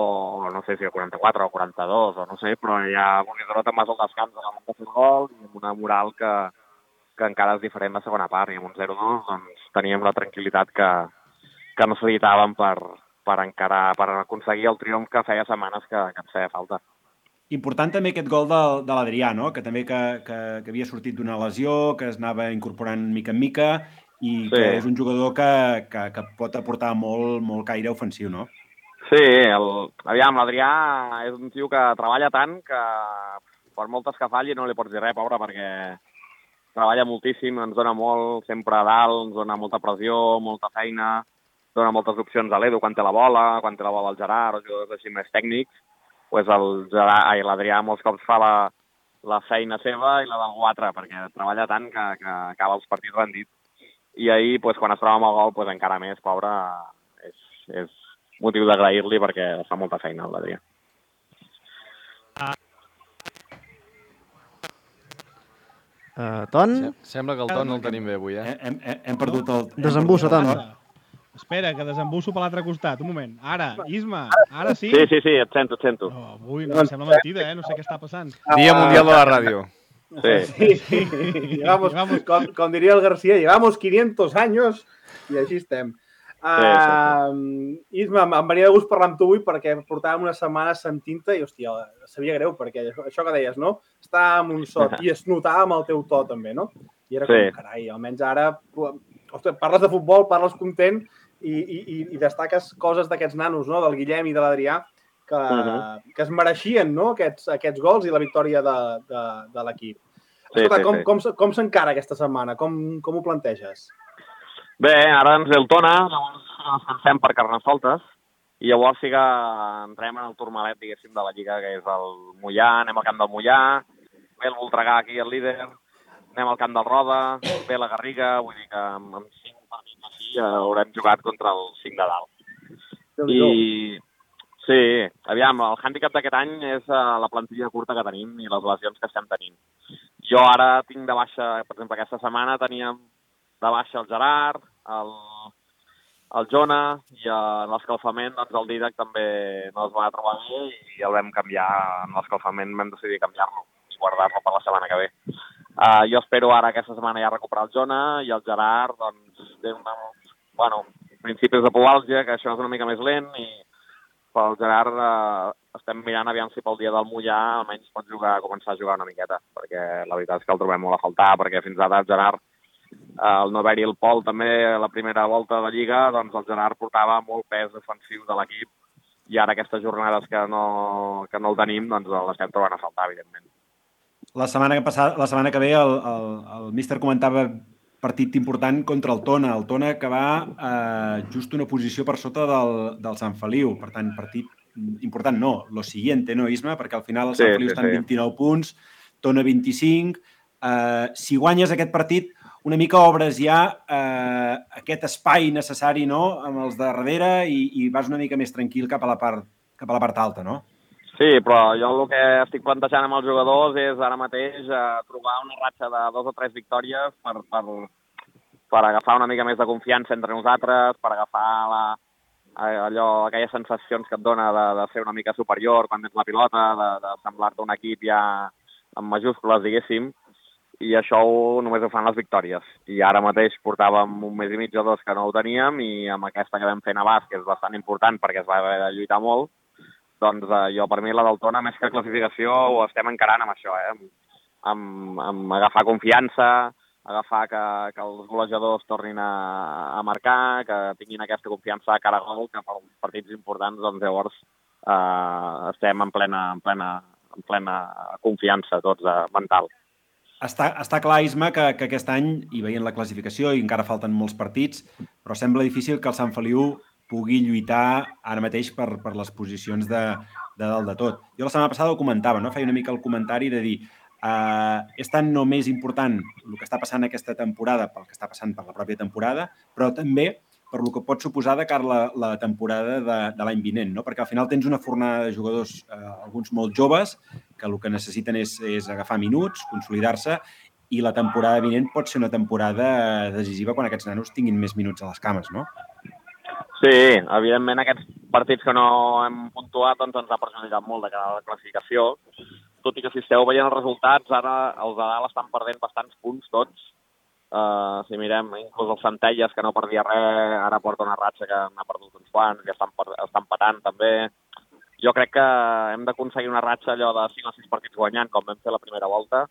no sé si el quaranta-quatre o el quaranta-dos, o no sé, però ja Bonidoró te'n vas al descans abans de fer el gol i amb una moral que, que encara és diferent la segona part. I amb un zero dos doncs, teníem la tranquil·litat que que necessitàvem per, per encarar, per aconseguir el triomf que feia setmanes que, que ens feia falta. Important també aquest gol de, de l'Adrià, no? Que també que, que, que havia sortit d'una lesió, que es anava incorporant mica en mica i sí. Que és un jugador que, que, que pot aportar molt, molt caire ofensiu, no? Sí, el, aviam, l'Adrià és un tio que treballa tant que per moltes que falli no li pots dir res, pobre, perquè treballa moltíssim, ens dona molt, sempre a dalt, ens dona molta pressió, molta feina, dona moltes opcions a l'Edu quan té la bola, quan té la bola el Gerard, o jugadors així més tècnics, pues el Gerard, ai, l'Adrià molts cops fa la, la feina seva i la d'algú altre, perquè treballa tant que, que acaba els partits rendit. I ahir, pues, quan es troba amb el gol, pues, encara més, pobre, és, és motiu d'agrair-li perquè fa molta feina, l'Adrià. Uh, ton? Sembla que el ton no el tenim bé avui, eh? Hem, hem, hem perdut el... Desembussa, ton. Espera, que desembusso per l'altre costat. Un moment. Ara, Isma, ara sí? Sí, sí, sí, et sento, et sento. Oh, avui no, em sembla mentida, eh? No sé què està passant. Dia Mundial de la Ràdio. Sí. Sí, sí. Llevamos, com, com diria el García, llevamos quinientos años i així estem. Uh, sí, sí, sí. Isma, em venia de gust parlar amb tu avui perquè portàvem una setmana sentint-te i, hòstia, sabia greu perquè això que deies, no? Estàvem un sot i es notava amb el teu to també, no? I era com, sí. Carai, almenys ara... Ostres, parles de futbol, parles content i, i, i destaques coses d'aquests nanos, no? Del Guillem i de l'Adrià, que, uh -huh. que es mereixien, no? Aquests, aquests gols i la victòria de, de, de l'equip. Sí, Escolta, sí, com, sí. com, com s'encara aquesta setmana? Com, com ho planteges? Bé, ara ens ve el Tona, llavors descansem per Carnestoltes, i llavors sí que entrem en el turmalet, diguéssim, de la Lliga, que és el Mollà, anem al camp del Mollà, ve el Voltregà aquí, el líder, anem al camp del Roda, ve la Garriga, vull dir que amb, amb cinc partits així ja haurem jugat contra el cinc de dalt. I sí, aviam, el hàndicap d'aquest any és uh, la plantilla curta que tenim i les lesions que estem tenint. Jo ara tinc de baixa, per exemple, aquesta setmana teníem de baixa el Gerard, el, el Jona, i en l'escalfament doncs el Didac també no es va trobar bé i el vam canviar, en l'escalfament vam decidir canviar-lo i guardar-lo per la setmana que ve. Uh, jo espero ara aquesta setmana ja recuperar el Jona i el Gerard, doncs, té una, bueno, principis de pubalgia, que això és una mica més lent, i pel Gerard uh, estem mirant aviam si pel dia del Mollà almenys pot jugar, començar a jugar una miqueta, perquè la veritat és que el trobem molt a faltar, perquè fins ara el Gerard el no haver-hi el Pol també a la primera volta de Lliga, doncs el Gerard portava molt pes defensiu de l'equip i ara aquestes jornades que no, que no el tenim, doncs l'estem trobant a faltar, evidentment. La setmana que, passada, la setmana que ve el, el, el míster comentava partit important contra el Tona. El Tona que va eh, just una posició per sota del, del Sant Feliu. Per tant, partit important no, lo siguiente, no, Isma? Perquè al final el Sant sí, Feliu sí, està en sí. vint-i-nou punts, Tona vint-i-cinc. Eh, si guanyes aquest partit, una mica obres ja eh, aquest espai necessari, no?, amb els de darrere i, i vas una mica més tranquil cap a la part, cap a la part alta, no? Sí, però jo el que estic plantejant amb els jugadors és ara mateix eh, trobar una ratxa de dos o tres victòries per, per, per agafar una mica més de confiança entre nosaltres, per agafar la, allò, aquelles sensacions que et dona de, de ser una mica superior quan tens la pilota, de, de semblar-te un equip ja en majúscules, diguéssim, i això ho, només ho fan les victòries. I ara mateix portàvem un mes i mig o dos que no ho teníem i amb aquesta que vam fer a Navàs, que és bastant important perquè es va haver de lluitar molt, doncs eh, jo per mi la del Tona, més que classificació, ho estem encarant amb això, eh? amb, amb, amb agafar confiança, agafar que, que els golejadors tornin a, a marcar, que tinguin aquesta confiança a cara a gol, que per partits importants, doncs llavors eh, estem en plena, en plena, en plena confiança tots, eh, mental. Està, està clar, Isma, que, que aquest any, i veient la classificació, i encara falten molts partits, però sembla difícil que el Sant Feliu pugui lluitar ara mateix per, per les posicions de, de dalt de tot. Jo la setmana passada ho comentava, no? Feia una mica el comentari de dir eh, és tan no més important el que està passant aquesta temporada pel que està passant per la pròpia temporada, però també per el que pot suposar de cara a la, la temporada de, de l'any vinent, no? Perquè al final tens una fornada de jugadors, eh, alguns molt joves, que el que necessiten és, és agafar minuts, consolidar-se, i la temporada vinent pot ser una temporada decisiva quan aquests nanos tinguin més minuts a les cames, no? Sí, evidentment aquests partits que no hem puntuat doncs ens ha perjudicat molt de cara a la classificació, tot i que si esteu veient els resultats, ara els de dalt estan perdent bastants punts tots. Uh, si mirem, inclús els Centelles, que no perdia res, ara porta una ratxa que n'ha perdut uns quants, que estan, estan patant també. Jo crec que hem d'aconseguir una ratxa allò de cinc o sis partits guanyant, com vam fer la primera volta,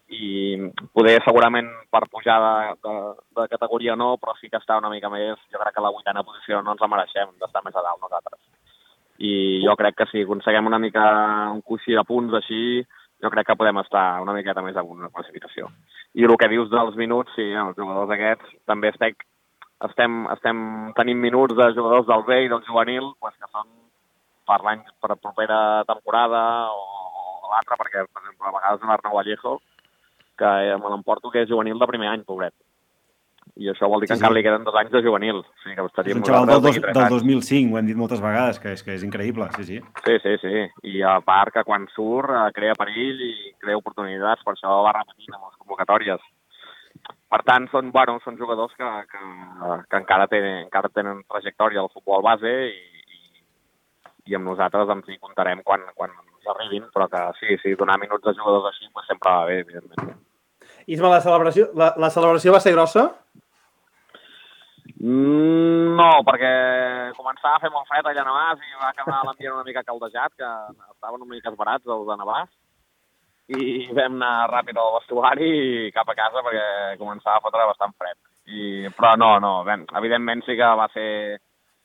i poder segurament per pujar de, de, de categoria no, però sí que està una mica més, jo crec que la vuitena posició no ens la mereixem d'estar més a dalt nosaltres. I jo crec que si aconseguim una mica un coixí de punts així, jo crec que podem estar una miqueta més amunt en la classificació. I el que dius dels minuts, sí, els jugadors aquests, també estem, estem, estem tenint minuts de jugadors del B i del juvenil, pues, que són per l'any, per la propera temporada o, o l'altra, perquè, per exemple, a vegades l'Arnau Vallejo, que me l'emporto que és juvenil de primer any, pobret. I això vol dir que sí, encara sí. li queden dos anys de juvenil. Sí, que és un xaval del, dos, del dos mil cinc, ho hem dit moltes vegades, que és, que és increïble, sí, sí. Sí, sí, sí. I a part que quan surt crea perill i crea oportunitats, per això va repetint amb les convocatòries. Per tant, són, bueno, són jugadors que, que, que encara, tenen, encara tenen trajectòria al futbol base i, i, i amb nosaltres ens hi comptarem quan, quan ens arribin, però que sí, sí, donar minuts a jugadors així pues, sempre va bé, evidentment. Isma, la celebració, la, la celebració va ser grossa? Mm, no, perquè començava a fer molt fred allà a Navàs i va quedar l'ambient una mica caldejat, que estaven una mica esbarats els de Navàs, i vam anar ràpid al vestuari i cap a casa perquè començava a fotre bastant fred. I, però no, no, ben, evidentment sí que va ser...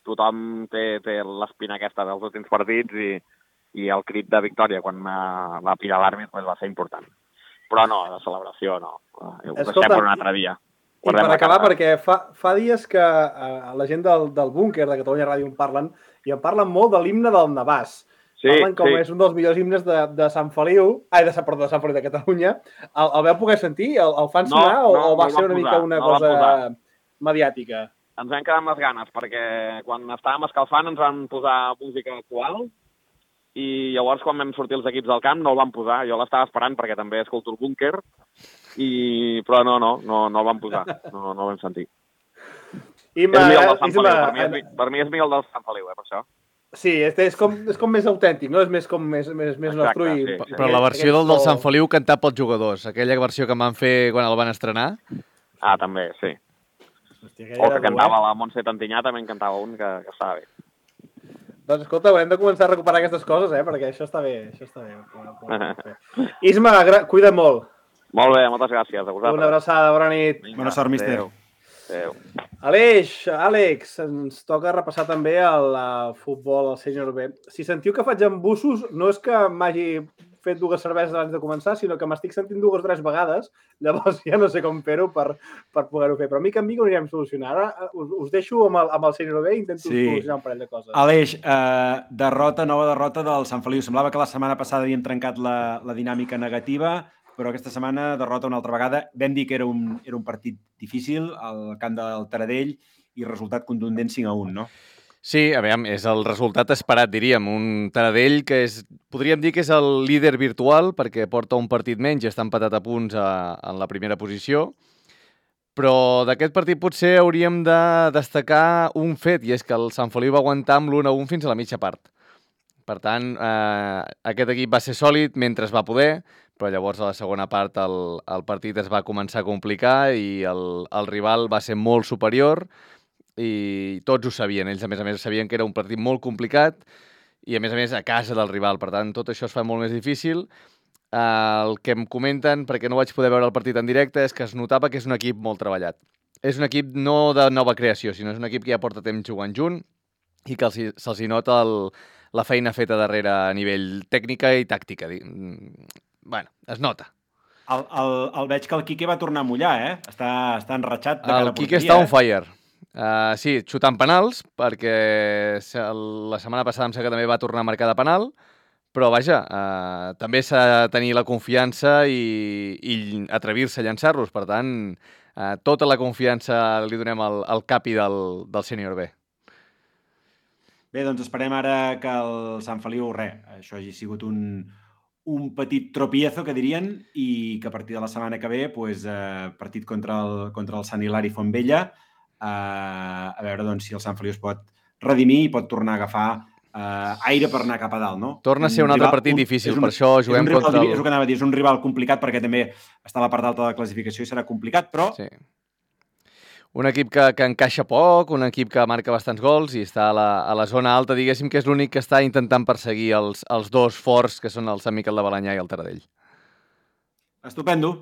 Tothom té, té l'espina aquesta dels últims partits i, i el crit de victòria quan va, va pirar l'àrbit pues, va ser important. Però no, la celebració no. Ho deixem per un altre dia. I per acabar, perquè fa, fa dies que eh, la gent del, del búnquer de Catalunya Ràdio en parlen, i en parlen molt de l'himne del Navàs. Sí, parlen com sí. És un dels millors himnes de, de Sant Feliu, ai, de, perdó, de Sant Feliu de Catalunya. El, el veu poder sentir? El, el fan sonar no, o, no, o va no ser una posar, mica una no cosa mediàtica? Ens vam quedar amb les ganes, perquè quan estàvem escalfant ens van posar música actual i llavors quan vam sortir els equips del camp no el van posar. Jo l'estava esperant perquè també escolto el búnquer, i... però no, no, no, no el van posar, no, no el vam sentir. Ima, és millor del Sant Feliu, per mi és, per mi és millor del Sant Feliu, eh, per això. Sí, és, és, com, és com més autèntic, no? És més com més, més, més Exacte, nostre. I... Sí, sí. Però la versió del, del Sant Feliu cantat pels jugadors, aquella versió que van fer quan el van estrenar? Ah, també, sí. Hòstia, o que cantava la Montse Tantinyà, també en cantava un que, que estava bé. Doncs escolta, haurem de començar a recuperar aquestes coses, eh? Perquè això està bé, això està bé. Isma, cuida molt. Molt bé, moltes gràcies. A vosaltres. Una abraçada, bona nit. Vinga, Bona sort, mister. Adéu. Adéu. Aleix, Àlex, ens toca repassar també el uh, futbol al sènior B. Si sentiu que faig embussos, no és que m'hagi fet dues cerveses abans de començar, sinó que m'estic sentint dues o tres vegades, llavors ja no sé com fer-ho per, per poder-ho fer. Però mica en mica ho anirem solucionar. Ara us, us deixo amb el, amb el sènior B i intento sí. solucionar un parell de coses. Aleix, eh, derrota, nova derrota del Sant Feliu. Semblava que la setmana passada havíem trencat la, la dinàmica negativa, però aquesta setmana derrota una altra vegada. Vam dir que era un, era un partit difícil al camp del Taradell i resultat contundent cinc a un, no? Sí, a veure, és el resultat esperat, diríem. Un Taradell que és, podríem dir que és el líder virtual perquè porta un partit menys i està empatat a punts a, en la primera posició. Però d'aquest partit potser hauríem de destacar un fet, i és que el Sant Feliu va aguantar amb l'u a un fins a la mitja part. Per tant, eh, aquest equip va ser sòlid mentre es va poder, però llavors a la segona part el, el partit es va començar a complicar i el, el rival va ser molt superior i tots ho sabien. Ells, a més a més, sabien que era un partit molt complicat i, a més a més, a casa del rival. Per tant, tot això es fa molt més difícil. Uh, el que em comenten, perquè no vaig poder veure el partit en directe, és que es notava que és un equip molt treballat. És un equip no de nova creació, sinó és un equip que ja porta temps jugant junt i que se'ls nota el, la feina feta darrere a nivell tècnica i tàctica. Bueno, es nota. El, el, el veig que el Quique va tornar a mullar, eh? Està, està enratxat de cara a porteria. El Quique està on fire. Uh, sí, xutant penals, perquè la setmana passada em sembla que també va tornar a marcar de penal, però vaja, uh, també s'ha de tenir la confiança i, i atrevir-se a llançar-los. Per tant, uh, tota la confiança li donem al, al capi del, del sènior B. Bé, doncs esperem ara que el Sant Feliu, res, això hagi sigut un, un petit tropiezo, que dirien, i que a partir de la setmana que ve, pues, eh, partit contra el, contra el Sant Hilari Fontvella, eh, a veure doncs, si el Sant Feliu es pot redimir i pot tornar a agafar eh, aire per anar cap a dalt, no? Torna a ser un, un altre rival, partit un, difícil, un, per això juguem rival, contra el... És el que anava a dir, és un rival complicat perquè també està a la part alta de la classificació i serà complicat, però... Sí. Un equip que, que encaixa poc, un equip que marca bastants gols i està a la, a la zona alta, diguéssim que és l'únic que està intentant perseguir els, els dos forts, que són el Sant Miquel de Balenyà i el Taradell. Estupendo.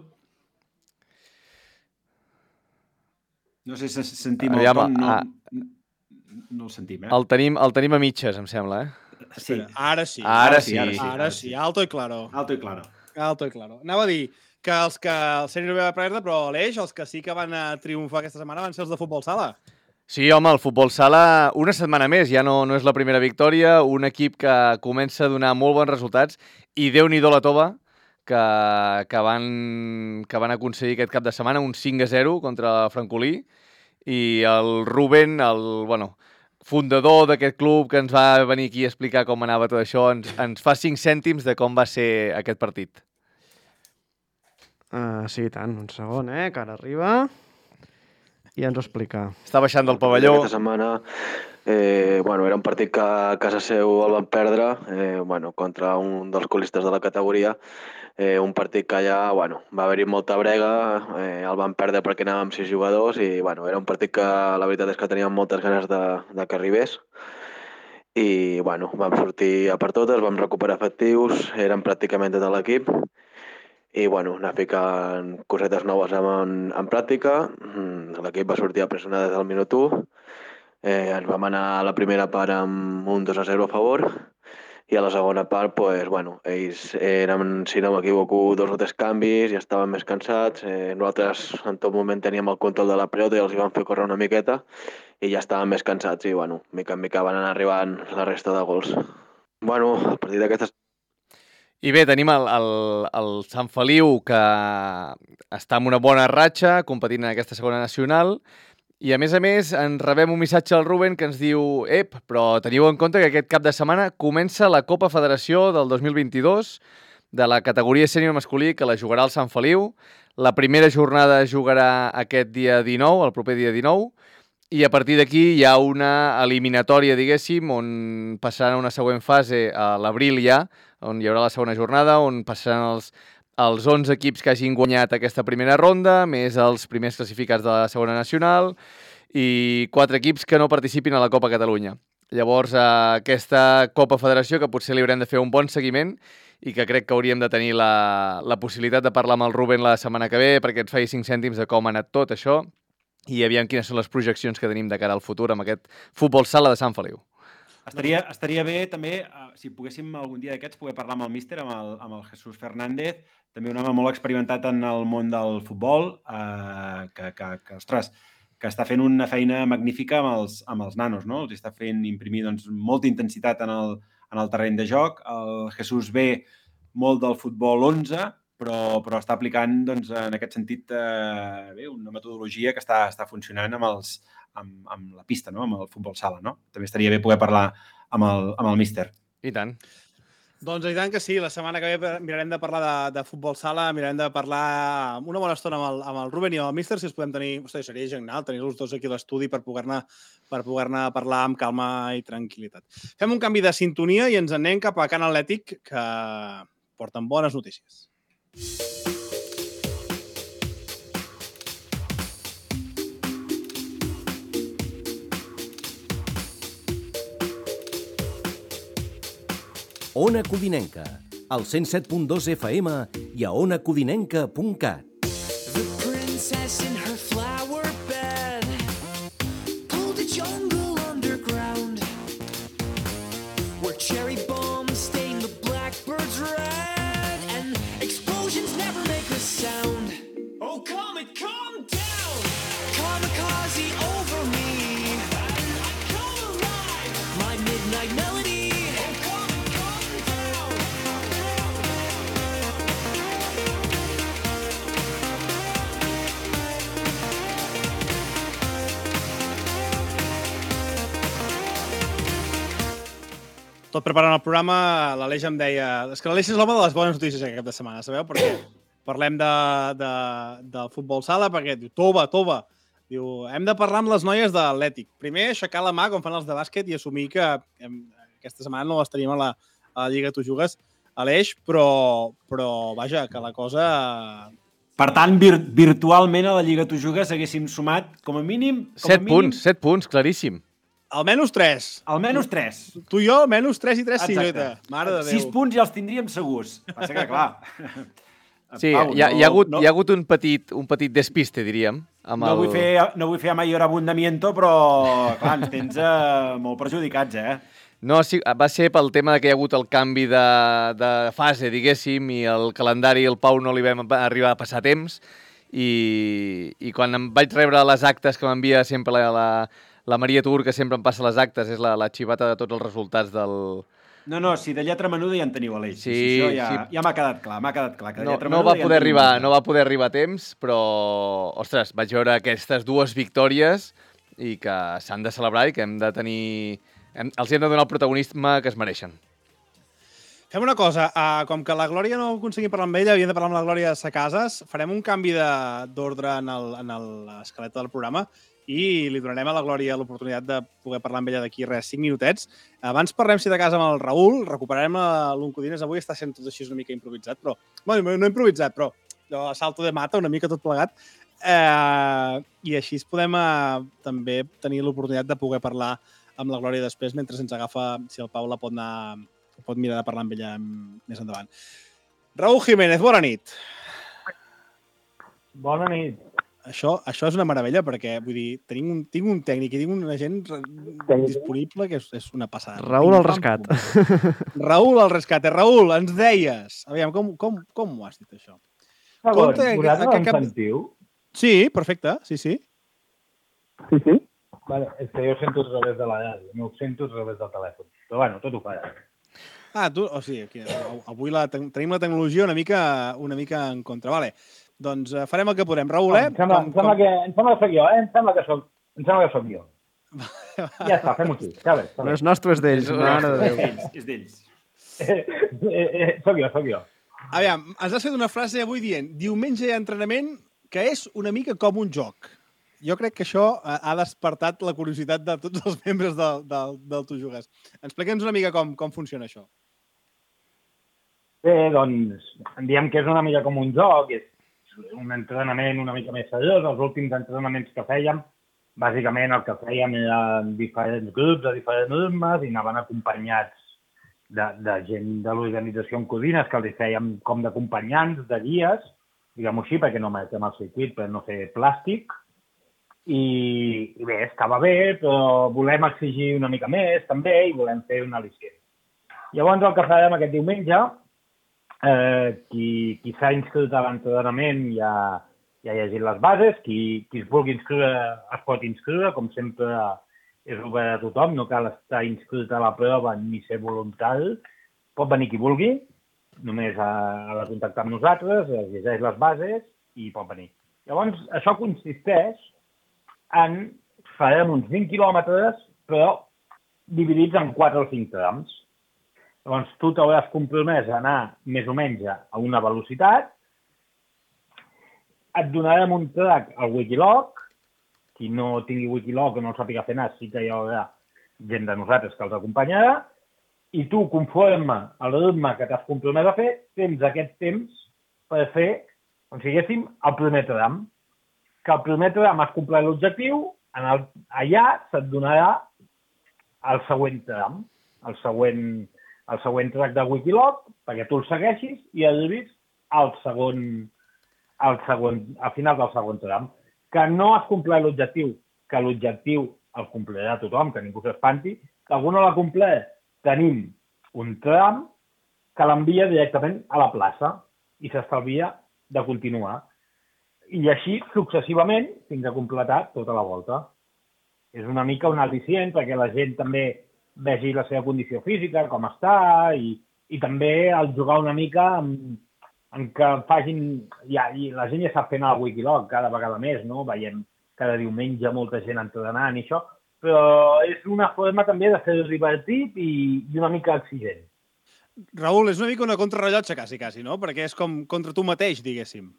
No sé si sentim el Aviam, Tom, no, ah, no el sentim, eh? El tenim, el tenim a mitges, em sembla, eh? Sí. Ara sí. Ara sí. Ara sí, ara sí. Alto i claro. Alto i claro. Alto i claro. Anava a dir que els que el sènior va perdre, però Aleix, els que sí que van a triomfar aquesta setmana van ser els de futbol sala. Sí, home, el futbol sala una setmana més, ja no, no és la primera victòria, un equip que comença a donar molt bons resultats i Déu-n'hi-do la tova que, que, van, que van aconseguir aquest cap de setmana un cinc a zero contra Francolí i el Rubén, el, bueno, fundador d'aquest club que ens va venir aquí a explicar com anava tot això, ens, ens fa cinc cèntims de com va ser aquest partit. Uh, sí, tant. Un segon, eh? Que ara arriba i ens ho explica. Està baixant del pavelló. Aquesta setmana, eh, bueno, era un partit que a casa seu el van perdre, eh, bueno, contra un dels colistes de la categoria. Eh, un partit que allà, bueno, va haver-hi molta brega, eh, el van perdre perquè anàvem amb sis jugadors i, bueno, era un partit que la veritat és que teníem moltes ganes de, de que arribés. I, bueno, vam sortir a per totes, vam recuperar efectius, eren pràcticament tot l'equip. I, bueno, anar ficant cosetes noves en, en pràctica. L'equip va sortir a pressionar des del minut u. Eh, ens vam anar a la primera part amb un dos a zero a favor i a la segona part, pues, bueno, ells eren, si no m'equivoco, dos o tres canvis i estaven més cansats. Eh, nosaltres en tot moment teníem el control de la pelota i els hi vam fer córrer una miqueta i ja estaven més cansats i, bueno, mica en mica van anar arribant la resta de gols. Bueno, a partir d'aquestes... I bé, tenim el, el, el Sant Feliu, que està en una bona ratxa, competint en aquesta segona nacional, i a més a més ens rebem un missatge al Rubén que ens diu «Ep, però teniu en compte que aquest cap de setmana comença la Copa Federació del dos mil vint-i-dos de la categoria sènior masculí, que la jugarà el Sant Feliu. La primera jornada es jugarà aquest dia dinou, el proper dia dinou, i a partir d'aquí hi ha una eliminatòria, diguéssim, on passaran una següent fase a l'abril ja, on hi haurà la segona jornada, on passaran els, els onze equips que hagin guanyat aquesta primera ronda, més els primers classificats de la segona nacional, i quatre equips que no participin a la Copa Catalunya. Llavors, eh, aquesta Copa Federació, que potser li haurem de fer un bon seguiment i que crec que hauríem de tenir la, la possibilitat de parlar amb el Rubén la setmana que ve perquè ens faci cinc cèntims de com ha anat tot això i aviam quines són les projeccions que tenim de cara al futur amb aquest futbol sala de Sant Feliu. Estaria, estaria bé també, uh, si poguéssim algun dia d'aquests, poder parlar amb el míster, amb el, amb el Jesús Fernández, també un home molt experimentat en el món del futbol, uh, que, que, que, ostres, que està fent una feina magnífica amb els, amb els nanos, no? Els està fent imprimir doncs, molta intensitat en el, en el terreny de joc. El Jesús ve molt del futbol onze, però, però està aplicant doncs, en aquest sentit eh, bé, una metodologia que està, està funcionant amb, els, amb, amb la pista, no? Amb el futbol sala. No? També estaria bé poder parlar amb el, amb el míster. I tant. Doncs i tant que sí, la setmana que ve mirarem de parlar de, de futbol sala, mirarem de parlar una bona estona amb el, amb el Rubén i amb el míster, si els podem tenir, ostres, seria genial tenir-los dos aquí a l'estudi per poder-ne per poder-ne parlar amb calma i tranquil·litat. Fem un canvi de sintonia i ens anem cap a Can Atlètic, que porten bones notícies. Ona Codinenca, al cent set punt dos F M i a ona codinenca punt cat. The princess in her flower bed pulled a jungle underground where cherry bombs stain the blackbirds red and explosions never make a sound. Oh, comet, calm down! Kamikaze over me and I come alive! My midnight melody. Tot preparant el programa, l'Aleix em deia... És que l'Aleix és l'home de les bones notícies aquest cap de setmana, sabeu? Perquè parlem de, de, del futbol sala, perquè diu, tova, tova. Diu, hem de parlar amb les noies de l'Atlètic. Primer, aixecar la mà, com fan els de bàsquet, i assumir que hem, aquesta setmana no les tenim a la, a la Lliga Tu Jugues, Aleix, però, però, vaja, que la cosa... Per tant, vir virtualment a la Lliga Tu Jugues haguéssim sumat, com a mínim... Com set a mínim... punts, set punts, claríssim. Almenys tres. Almenys tres. Tu i jo, almenys tres i tres, sí, Joita. Mare de Déu. Sis punts ja els tindríem segurs. Passa que, clar... Sí, Pau, hi, ha, no, hi, ha hagut, no, hi ha hagut un petit, un petit despiste, diríem. Amb no, el... vull fer, no vull fer mayor abundamiento, però, clar, ens tens eh, molt perjudicats, eh? No, sí, va ser pel tema de que hi ha hagut el canvi de, de fase, diguéssim, i el calendari el Pau no li vam arribar a passar temps, i, i quan em vaig rebre les actes que m'envia sempre la, la, la Maria Tur, que sempre em passa les actes, és la, la xivata de tots els resultats del... No, no, si de lletra menuda ja en teniu, Aleix. Sí, si això ja, sí. ja m'ha quedat clar, m'ha quedat clar. Que de no, lletra no, menuda va ja poder en arribar, no va poder arribar a temps, però, ostres, vaig veure aquestes dues victòries i que s'han de celebrar i que hem de tenir... Hem, els hem de donar el protagonisme que es mereixen. Fem una cosa, uh, com que la Glòria no aconseguim parlar amb ella, havíem de parlar amb la Glòria a Cases, farem un canvi d'ordre en l'escaleta del programa i li donarem a la Glòria l'oportunitat de poder parlar amb ella d'aquí res, cinc minutets. Abans parlem, si de casa, amb el Raül, recuperarem l'Oncodines. Avui està sent tot així una mica improvisat, però... Bueno, no improvisat, però a salto de mata, una mica tot plegat. Eh, I així podem eh, també tenir l'oportunitat de poder parlar amb la Glòria després, mentre ens agafa, si el Pau la pot anar... pot mirar de parlar amb ella més endavant. Raül Jiménez, bona nit. Bona nit. Això, això és una meravella perquè, vull dir, tenim un, tinc un tècnic i tinc una gent disponible que és, és una passada. Raül al rescat. Raül al rescat. Raül, ens deies... Aviam, com, com, com ho has dit, això? Ah, bon, vosaltres em cap... sentiu? Sí, perfecte, sí, sí. Sí, sí? Vale, és que jo sento a través de la ràdio, no ho sento a través del telèfon. Però bueno, tot ho fa. Ah, tu, o sigui, aquí, avui la, tenim la tecnologia una mica, una mica en contra. Vale. Doncs uh, farem el que podem. Raül, eh? Em sembla, com, em sembla, com... que, em sembla que soc jo, eh? Em sembla que soc, em sembla que soc jo. Ja està, fem-ho així. Ja ves, no és nostre, és d'ells. És d'ells. Eh, eh, eh, soc jo, soc jo. Aviam, ens has fet una frase avui dient diumenge hi ha entrenament que és una mica com un joc. Jo crec que això ha despertat la curiositat de tots els membres del, del, del Tu Jugues. Explica'ns una mica com, com funciona això. Bé, doncs, diem que és una mica com un joc, és un entrenament una mica més seriós. Els últims entrenaments que fèiem bàsicament el que fèiem eren diferents grups de diferents ritmes i anaven acompanyats de, de gent de l'organització en Codines, que els fèiem com d'acompanyants, de guies, diguem-ho així, perquè no marquem el circuit per no fer plàstic. I, I bé, estava bé, però volem exigir una mica més, també, i volem fer un al·licient. Llavors, el que farem aquest diumenge, eh, qui, qui s'ha inscrit a l'entrenament ja, ja ha llegit les bases, qui, qui es vulgui inscriure es pot inscriure, com sempre és obert a tothom, no cal estar inscrit a la prova ni ser voluntari, pot venir qui vulgui, només ha, ha de contactar amb nosaltres, llegeix les bases i pot venir. Llavors, això consisteix en, farem uns vint quilòmetres, però dividits en quatre o cinc trams. Llavors, tu t'hauràs compromès a anar més o menys a una velocitat, et donarem un track al Wikiloc, qui no tingui Wikiloc o no el sàpiga fer anar, sí que hi haurà gent de nosaltres que els acompanyarà, i tu, conforme al ritme que t'has compromès a fer, tens aquest temps per fer, com si diguéssim, el primer tram. Que el primer tram has complert l'objectiu, allà se't donarà el següent tram, el següent, el següent track de Wikiloc, perquè tu el segueixis i arribis al segon, al segon, al final del segon tram. Que no has complert l'objectiu, que l'objectiu el complirà tothom, que ningú s'espanti, que algú no l'ha complert, tenim un tram que l'envia directament a la plaça i s'estalvia de continuar. I així successivament fins a completar tota la volta. És una mica un al·licient perquè la gent també vegi la seva condició física, com està, i, i també el jugar una mica en, en que facin... Ja, i la gent ja sap fer anar al Wikiloc cada vegada més, no? Veiem cada diumenge molta gent entrenant i això, però és una forma també de fer divertit i, i una mica exigent. Raül, és una mica una contrarrellotge, quasi, quasi, no? Perquè és com contra tu mateix, diguéssim.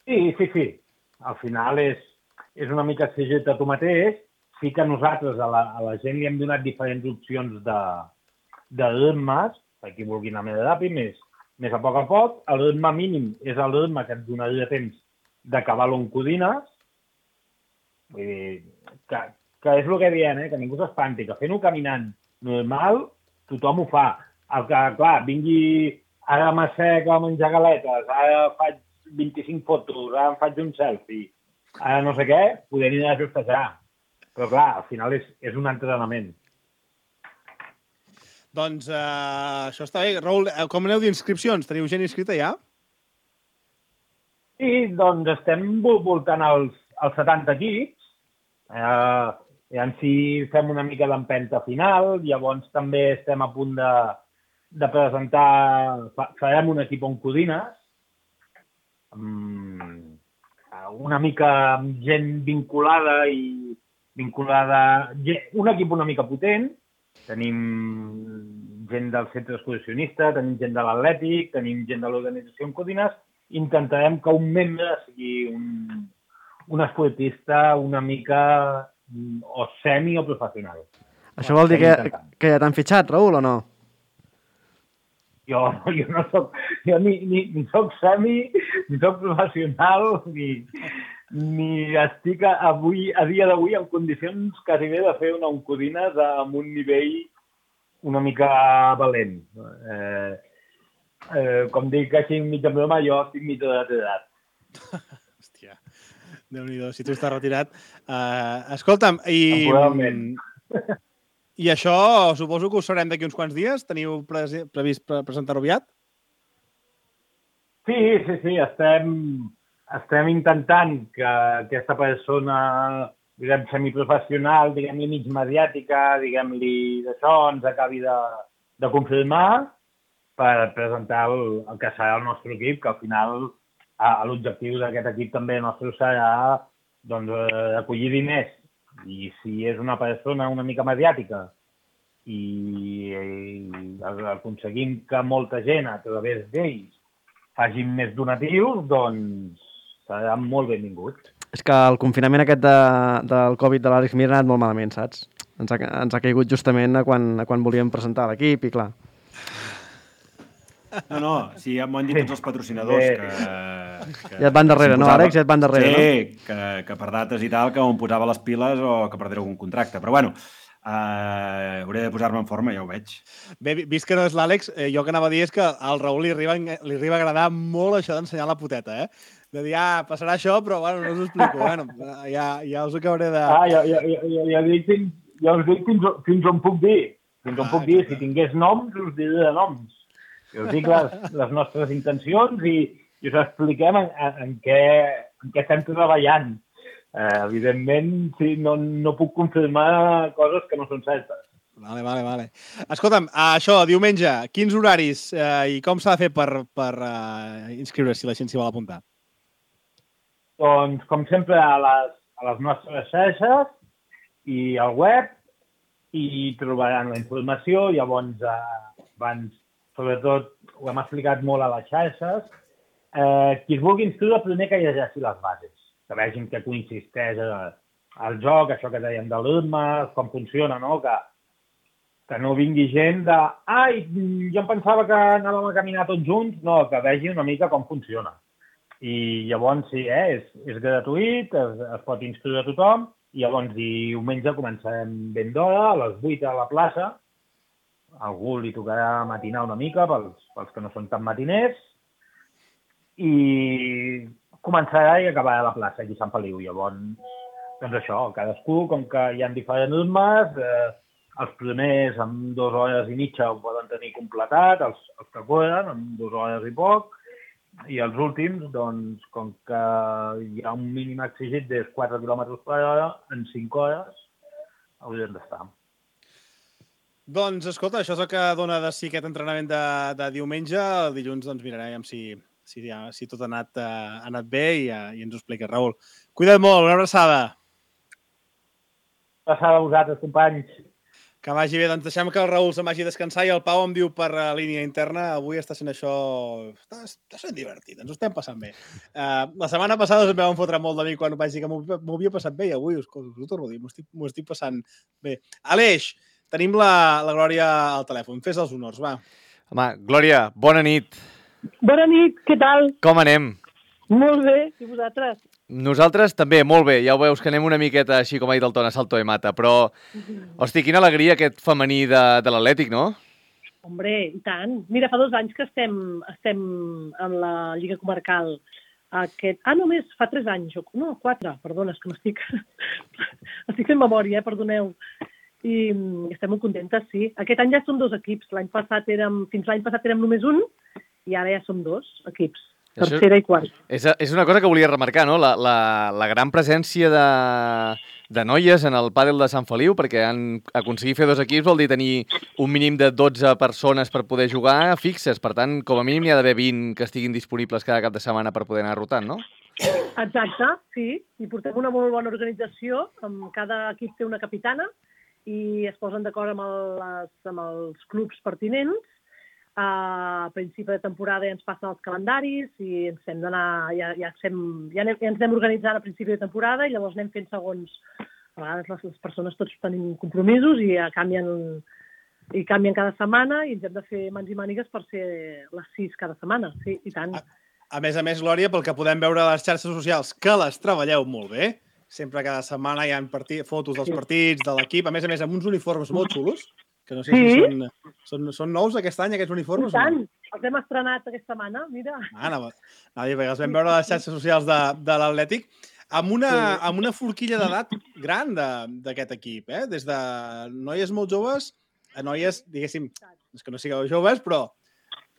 Sí, sí, sí. Al final és, és una mica exigir-te a tu mateix. Sí que nosaltres a la, a la gent li hem donat diferents opcions de, de ritmes, per qui vulgui anar més ràpid, més, més a poc a poc. El ritme mínim és el ritme que et donaria temps d'acabar-lo en Codines. Vull dir, que, que és el que diem, eh? Que ningú s'espanti, que fent-ho caminant normal, tothom ho fa. El que, clar, vingui ara m'assec a menjar galetes, ara faig vint-i-cinc fotos, ara em faig un selfie, ara no sé què, poder anar a justejar. Però clar, al final és, és un entrenament. Doncs uh, això està bé. Raül, com aneu d'inscripcions? Teniu gent inscrita ja? Sí, doncs estem voltant als, als setanta equips. Eh, I en si fem una mica d'empenta final. Llavors també estem a punt de, de presentar... Farem un equip en Codines. Um, una mica amb gent vinculada i vinculada... Un equip una mica potent. Tenim gent del centre excursionista, tenim gent de l'Atlètic, tenim gent de l'organització en Codines. Intentarem que un membre sigui un, un esportista una mica o semi o professional. Això vol dir que, que ja t'han fitxat, Raül, o no? Jo, jo no soc... Jo ni, ni, ni soc semi, ni soc professional, ni... ni estic avui, a dia d'avui en condicions quasi bé de fer una Oncodines amb un nivell una mica valent. Eh, eh, com dic així mig en broma, jo estic mig retirat. Hòstia, Déu-n'hi-do, si tu estàs retirat. Uh, escolta'm, i... I això suposo que ho sabrem d'aquí uns quants dies? Teniu pre previst pre presentar-ho aviat? Sí, sí, sí, estem... Estem intentant que aquesta persona, diguem, semiprofessional, diguem-li mig mediàtica, diguem-li d'això, ens acabi de, de confirmar per presentar el, el que serà el nostre equip, que al final l'objectiu d'aquest equip també nostre serà doncs, acollir diners. I si és una persona una mica mediàtica i, i aconseguim que molta gent a través d'ells facin més donatius, doncs seran molt benvinguts. És que el confinament aquest de, del Covid de l'Àlex Mir ha anat molt malament, saps? Ens ha, ens ha caigut justament a quan, a quan volíem presentar l'equip i clar. No, no, sí, m'ho han dit tots els patrocinadors que que, Ja et van darrere, no, Àlex? Ja et van darrere, sí, no? Sí, que, que per dates i tal, que em posava les piles o que perdré algun contracte. Però bueno, uh, hauré de posar-me en forma, ja ho veig. Bé, vist que no és l'Àlex, eh, jo que anava a dir és que al Raül li arriba, li arriba a agradar molt això d'ensenyar la puteta, eh? De dir, ah, passarà això, però bueno, no us ho explico. Bueno, ja, ja us acabaré de... Ah, ja, ja, ja, ja, ja, dic, fins, ja us dic fins, fins on puc dir. Fins on Ah, puc dir. exacte. Si tingués noms, us diré de noms. I us dic les, les nostres intencions i, i us expliquem en, en, en, què, en què estem treballant. Eh, evidentment, sí, no, no puc confirmar coses que no són certes. Vale, vale, vale. Escolta'm, això, diumenge, quins horaris eh, i com s'ha de fer per, per uh, inscriure-s'hi la gent s'hi vol apuntar? Doncs, com sempre, a les, a les nostres xarxes i al web i trobaran la informació. Llavors, eh, abans, sobretot, ho hem explicat molt a les xarxes. Eh, qui es vulgui inscriure, primer que llegeixi les bases, que vegin què consisteix el joc, això que dèiem de l'Urma, com funciona, no? Que, que no vingui gent de ai, jo em pensava que anàvem a caminar tots junts. No, que vegi una mica com funciona. I llavors, sí, eh, és, és gratuït, es, es pot inscriure a tothom, i llavors diumenge començarem ben d'hora, a les vuit a la plaça. A algú li tocarà matinar una mica, pels, pels que no són tan matiners, i començarà i acabarà a la plaça, aquí a Sant Feliu. Llavors, doncs això, cadascú, com que hi ha diferents ritmes, eh, els primers amb dues hores i mitja ho poden tenir completat, els, els que corren amb dues hores i poc, i els últims, doncs, com que hi ha un mínim exigit de quatre quilòmetres per hora, en cinc hores haurien d'estar. Doncs, escolta, això és el que dona de si aquest entrenament de, de diumenge. El dilluns doncs, mirarem si, si, si tot ha anat, uh, ha anat bé i, uh, i ens ho expliques, Raül. Cuida't molt, una abraçada. Passada a vosaltres, companys. Que vagi bé, doncs deixem que el Raül se'n vagi a descansar i el Pau em diu per uh, línia interna, avui està sent això... Està, està sent divertit, ens ho estem passant bé. Uh, la setmana passada us em vam fotre molt de mi quan vaig dir que m'ho m'ho havia passat bé i avui us, us ho torno a dir, m'ho estic, m'ho estic passant bé. Aleix, tenim la, la Glòria al telèfon, fes els honors, va. Home, Glòria, bona nit. Bona nit, què tal? Com anem? Molt bé, i vosaltres? Nosaltres també, molt bé. Ja ho veus que anem una miqueta, així com ha dit el Ton, a salto de mata. Però, hosti, quina alegria aquest femení de, de l'Atlètic, no? Hombre, i tant. Mira, fa dos anys que estem, estem en la Lliga Comarcal. Aquest... Ah, només fa tres anys. No, quatre, perdona, és que m'estic... estic fent memòria, eh? Perdoneu. I estem molt contentes, sí. Aquest any ja som dos equips. L'any passat érem... Fins l'any passat érem només un i ara ja som dos equips. Tercera i quarta. És, és una cosa que volia remarcar, no? La, la, la gran presència de, de noies en el pàdel de Sant Feliu, perquè han aconseguit fer dos equips vol dir tenir un mínim de dotze persones per poder jugar fixes. Per tant, com a mínim n'hi ha d'haver vint que estiguin disponibles cada cap de setmana per poder anar rotant, no? Exacte, sí. I portem una molt bona organització. Cada equip té una capitana i es posen d'acord amb, el, les, amb els clubs pertinents. A principi de temporada ja ens passen els calendaris i ens hem d'anar, ja, ja, sem, ja, anem, ja ens anem organitzant a principi de temporada i llavors anem fent segons, a vegades les, les persones tots tenim compromisos i ja canvien, i canvien cada setmana i ens hem de fer mans i mànigues per ser les sis cada setmana, sí, i tant. A, a més a més, Glòria, pel que podem veure a les xarxes socials, que les treballeu molt bé, sempre cada setmana hi ha partit, fotos dels partits, de l'equip, a més a més amb uns uniformes molt xulos, que no sé sí? si són, són, són nous aquest any, aquests uniformes. I tant, no? Els hem estrenat aquesta setmana, mira. Ah, no, no, perquè els vam veure a les xarxes socials de, de l'Atlètic amb una, sí. amb una forquilla d'edat gran d'aquest equip, eh? Des de noies molt joves a noies, diguéssim, és que no sigueu joves, però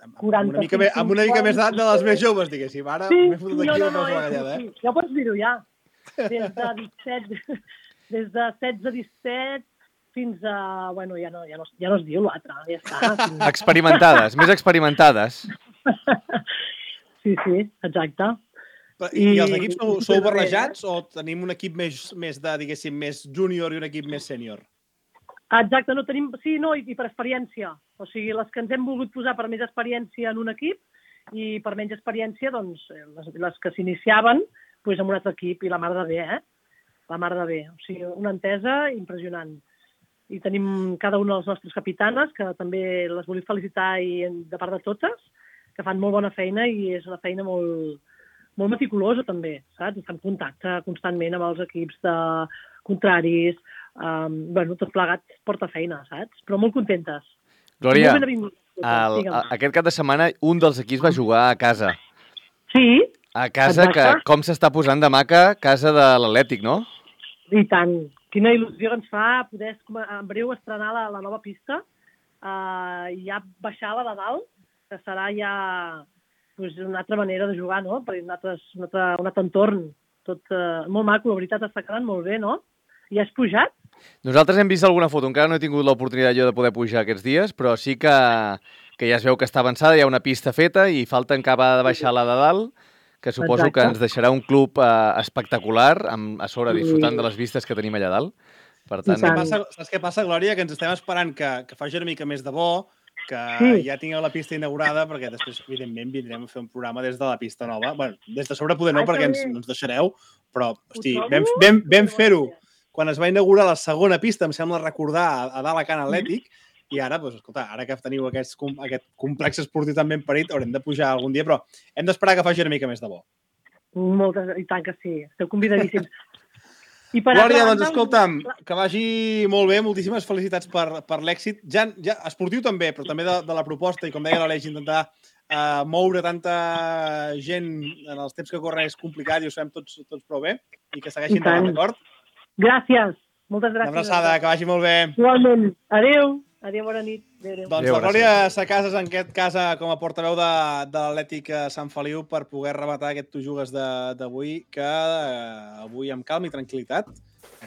amb, amb una mica, més, amb una mica més d'edat de les més joves, diguéssim. Ara sí, m'he fotut aquí no, no, no, no, la gallada, eh? Ja pots dir-ho, ja. Des de disset, des de setze a disset, fins a... Bueno, ja no, ja no, ja no es diu l'altre, ja està. Experimentades, més experimentades. Sí, sí, exacte. I, I els equips sou, sou barrejats o tenim un equip més, més de, diguéssim, més júnior i un equip més sènior? Exacte, no tenim... Sí, no, i, i per experiència. O sigui, les que ens hem volgut posar per més experiència en un equip i per menys experiència, doncs, les, les que s'iniciaven, doncs amb un altre equip, i la mar de bé, eh? La mar de bé. O sigui, una entesa impressionant. I tenim cada una de les nostres capitanes, que també les vull felicitar i de part de totes, que fan molt bona feina i és una feina molt, molt meticulosa també, saps? Està en contacte constantment amb els equips de contraris, um, bueno, tot plegat porta feina, saps? Però molt contentes. Glòria, molt benvingudes, el, digue'm. aquest cap de setmana un dels equips va jugar a casa. Sí. A casa, que Exacte. com s'està posant de maca, casa de l'Atlètic, no? I tant. Quina il·lusió que ens fa poder en breu estrenar la, la nova pista uh, i ja baixar-la de dalt, que serà ja pues, una altra manera de jugar, no? Per un altre, un altre, un altre entorn. Tot uh, molt maco, la veritat està quedant molt bé, no? I has pujat? Nosaltres hem vist alguna foto, encara no he tingut l'oportunitat jo de poder pujar aquests dies, però sí que, que ja es veu que està avançada, hi ha una pista feta i falta encara de baixar-la de dalt, que suposo Exacte. que ens deixarà un club eh, espectacular, amb, a sobre disfrutant de les vistes que tenim allà dalt. Per tant, Saps què passa, saps què passa, Glòria? Que ens estem esperant que, que faci una mica més de bo, que Sí. ja tingueu la pista inaugurada, perquè després, evidentment, vindrem a fer un programa des de la pista nova. Bueno, des de sobre poder no, Ai, perquè que ens, bé. no ens deixareu, però, hosti, trobo vam, vam, vam fer-ho quan es va inaugurar la segona pista, em sembla recordar, a, a dalt a Can Atlètic, i ara, doncs, escolta, ara que teniu aquest, aquest complex esportiu tan ben parit, haurem de pujar algun dia, però hem d'esperar que faci una mica més de bo. Moltes, i tant que sí. Esteu convidadíssims. I per Glòria, altra doncs banda, escolta'm, que vagi molt bé, moltíssimes felicitats per, per l'èxit. Ja, ja esportiu també, però també de, de la proposta, i com deia l'Aleix, intentar uh, moure tanta gent en els temps que corren és complicat i ho sabem tots, tots prou bé, i que segueixin I tant. endavant, d'acord? Gràcies. Moltes gràcies. Una abraçada, que vagi molt bé. Igualment. Adéu. Adéu, bona nit. Adéu, adéu. Doncs Adéu, la Glòria Sacases, en aquest cas, com a portaveu de, de l'Atlètic Sant Feliu, per poder rematar aquest Tu Jugues de- d'avui, que eh, avui amb calma i tranquil·litat,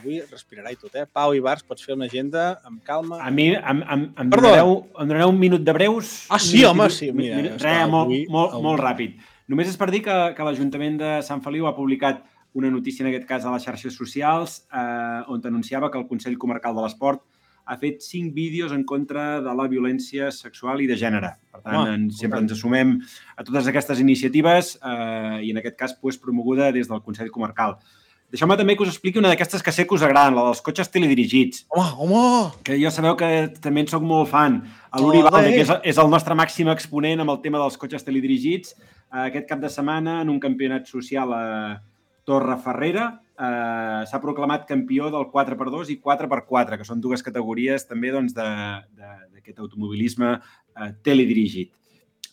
avui respirarà i tot, eh? Pau i Bars, pots fer una agenda amb calma. A mi em, em, em, Perdó. donareu, em donareu un minut de breus? Ah, sí, Un minut home, i- sí, mira, Res, és que molt, avui- molt, avui- molt ràpid. Només és per dir que, que l'Ajuntament de Sant Feliu ha publicat una notícia, en aquest cas, a les xarxes socials, eh, on anunciava que el Consell Comarcal de l'Esport ha fet cinc vídeos en contra de la violència sexual i de gènere. Per tant, Ah, en, sempre ens assumem a totes aquestes iniciatives eh, i, en aquest cas, pues, promoguda des del Consell Comarcal. Deixeu-me també que us expliqui una d'aquestes que sé que us agraden, la dels cotxes teledirigits. Home, home! Que jo sabeu que també en soc molt fan. L'Uri Ole! Valde, que és, és el nostre màxim exponent amb el tema dels cotxes teledirigits, eh, aquest cap de setmana, en un campionat social a Torreferrera, eh, s'ha proclamat campió del quatre per dos i quatre per quatre, que són dues categories també doncs, de- de- d'aquest automobilisme eh, teledirigit.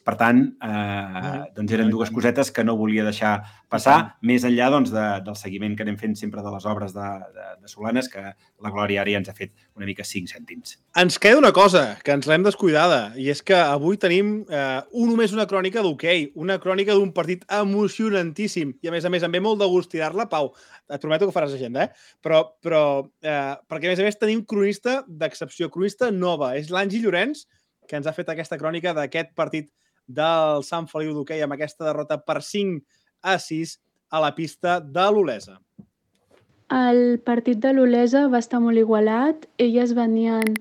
Per tant, eh, doncs eren dues cosetes que no volia deixar passar, més enllà doncs, de, del seguiment que anem fent sempre de les obres de, de, de Solanes, que la Glòria ara ja ens ha fet una mica cinc cèntims. Ens queda una cosa, que ens l'hem descuidada, i és que avui tenim eh, un, només una crònica d'hoquei, una crònica d'un partit emocionantíssim, i a més a més em ve molt de gust tirar-la. Pau, et prometo que faràs agenda, eh? Però, però eh, perquè a més a més tenim cronista d'excepció, cronista nova, és l'Angi Llorenç, que ens ha fet aquesta crònica d'aquest partit del Sant Feliu d'hoquei amb aquesta derrota per cinc a sis a la pista de l'Olesa. El partit de l'Olesa va estar molt igualat. Elles venien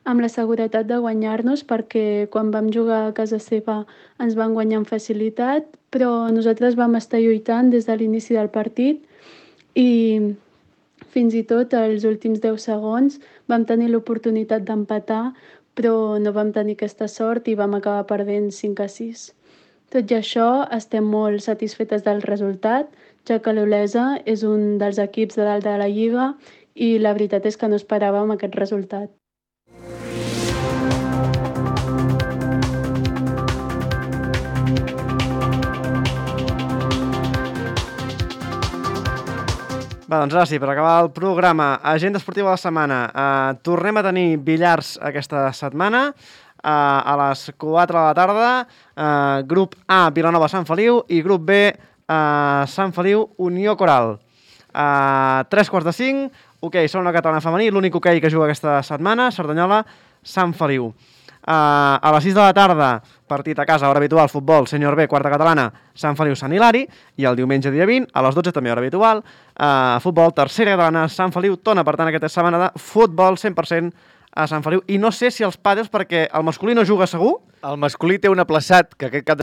amb la seguretat de guanyar-nos perquè quan vam jugar a casa seva ens van guanyar amb facilitat, però nosaltres vam estar lluitant des de l'inici del partit i fins i tot als últims deu segons vam tenir l'oportunitat d'empatar, però no vam tenir aquesta sort i vam acabar perdent cinc a sis. Tot i això, estem molt satisfetes del resultat, ja que l'Olesa és un dels equips de dalt de la Lliga i la veritat és que no esperàvem aquest resultat. Va, doncs ara sí, per acabar el programa, agenda esportiva de la setmana. Uh, tornem a tenir billars aquesta setmana, uh, a les quatre de la tarda, uh, grup A, Vilanova, Sant Feliu, i grup B, uh, Sant Feliu, Unió Coral. Uh, tres quarts de cinc, hoquei, segona catalana femení, l'únic hoquei que juga aquesta setmana, Cerdanyola, Sant Feliu. Uh, a les sis de la tarda, partit a casa, hora habitual, futbol, Sènior B, quarta catalana, Sant Feliu, Sant Hilari, i el diumenge dia vint, a les dotze també hora habitual, uh, futbol, tercera catalana, Sant Feliu, Tona, per tant, aquesta setmana de futbol cent per cent a Sant Feliu. I no sé si els pàdels, perquè el masculí no juga segur. El masculí té un aplaçat que aquest cap de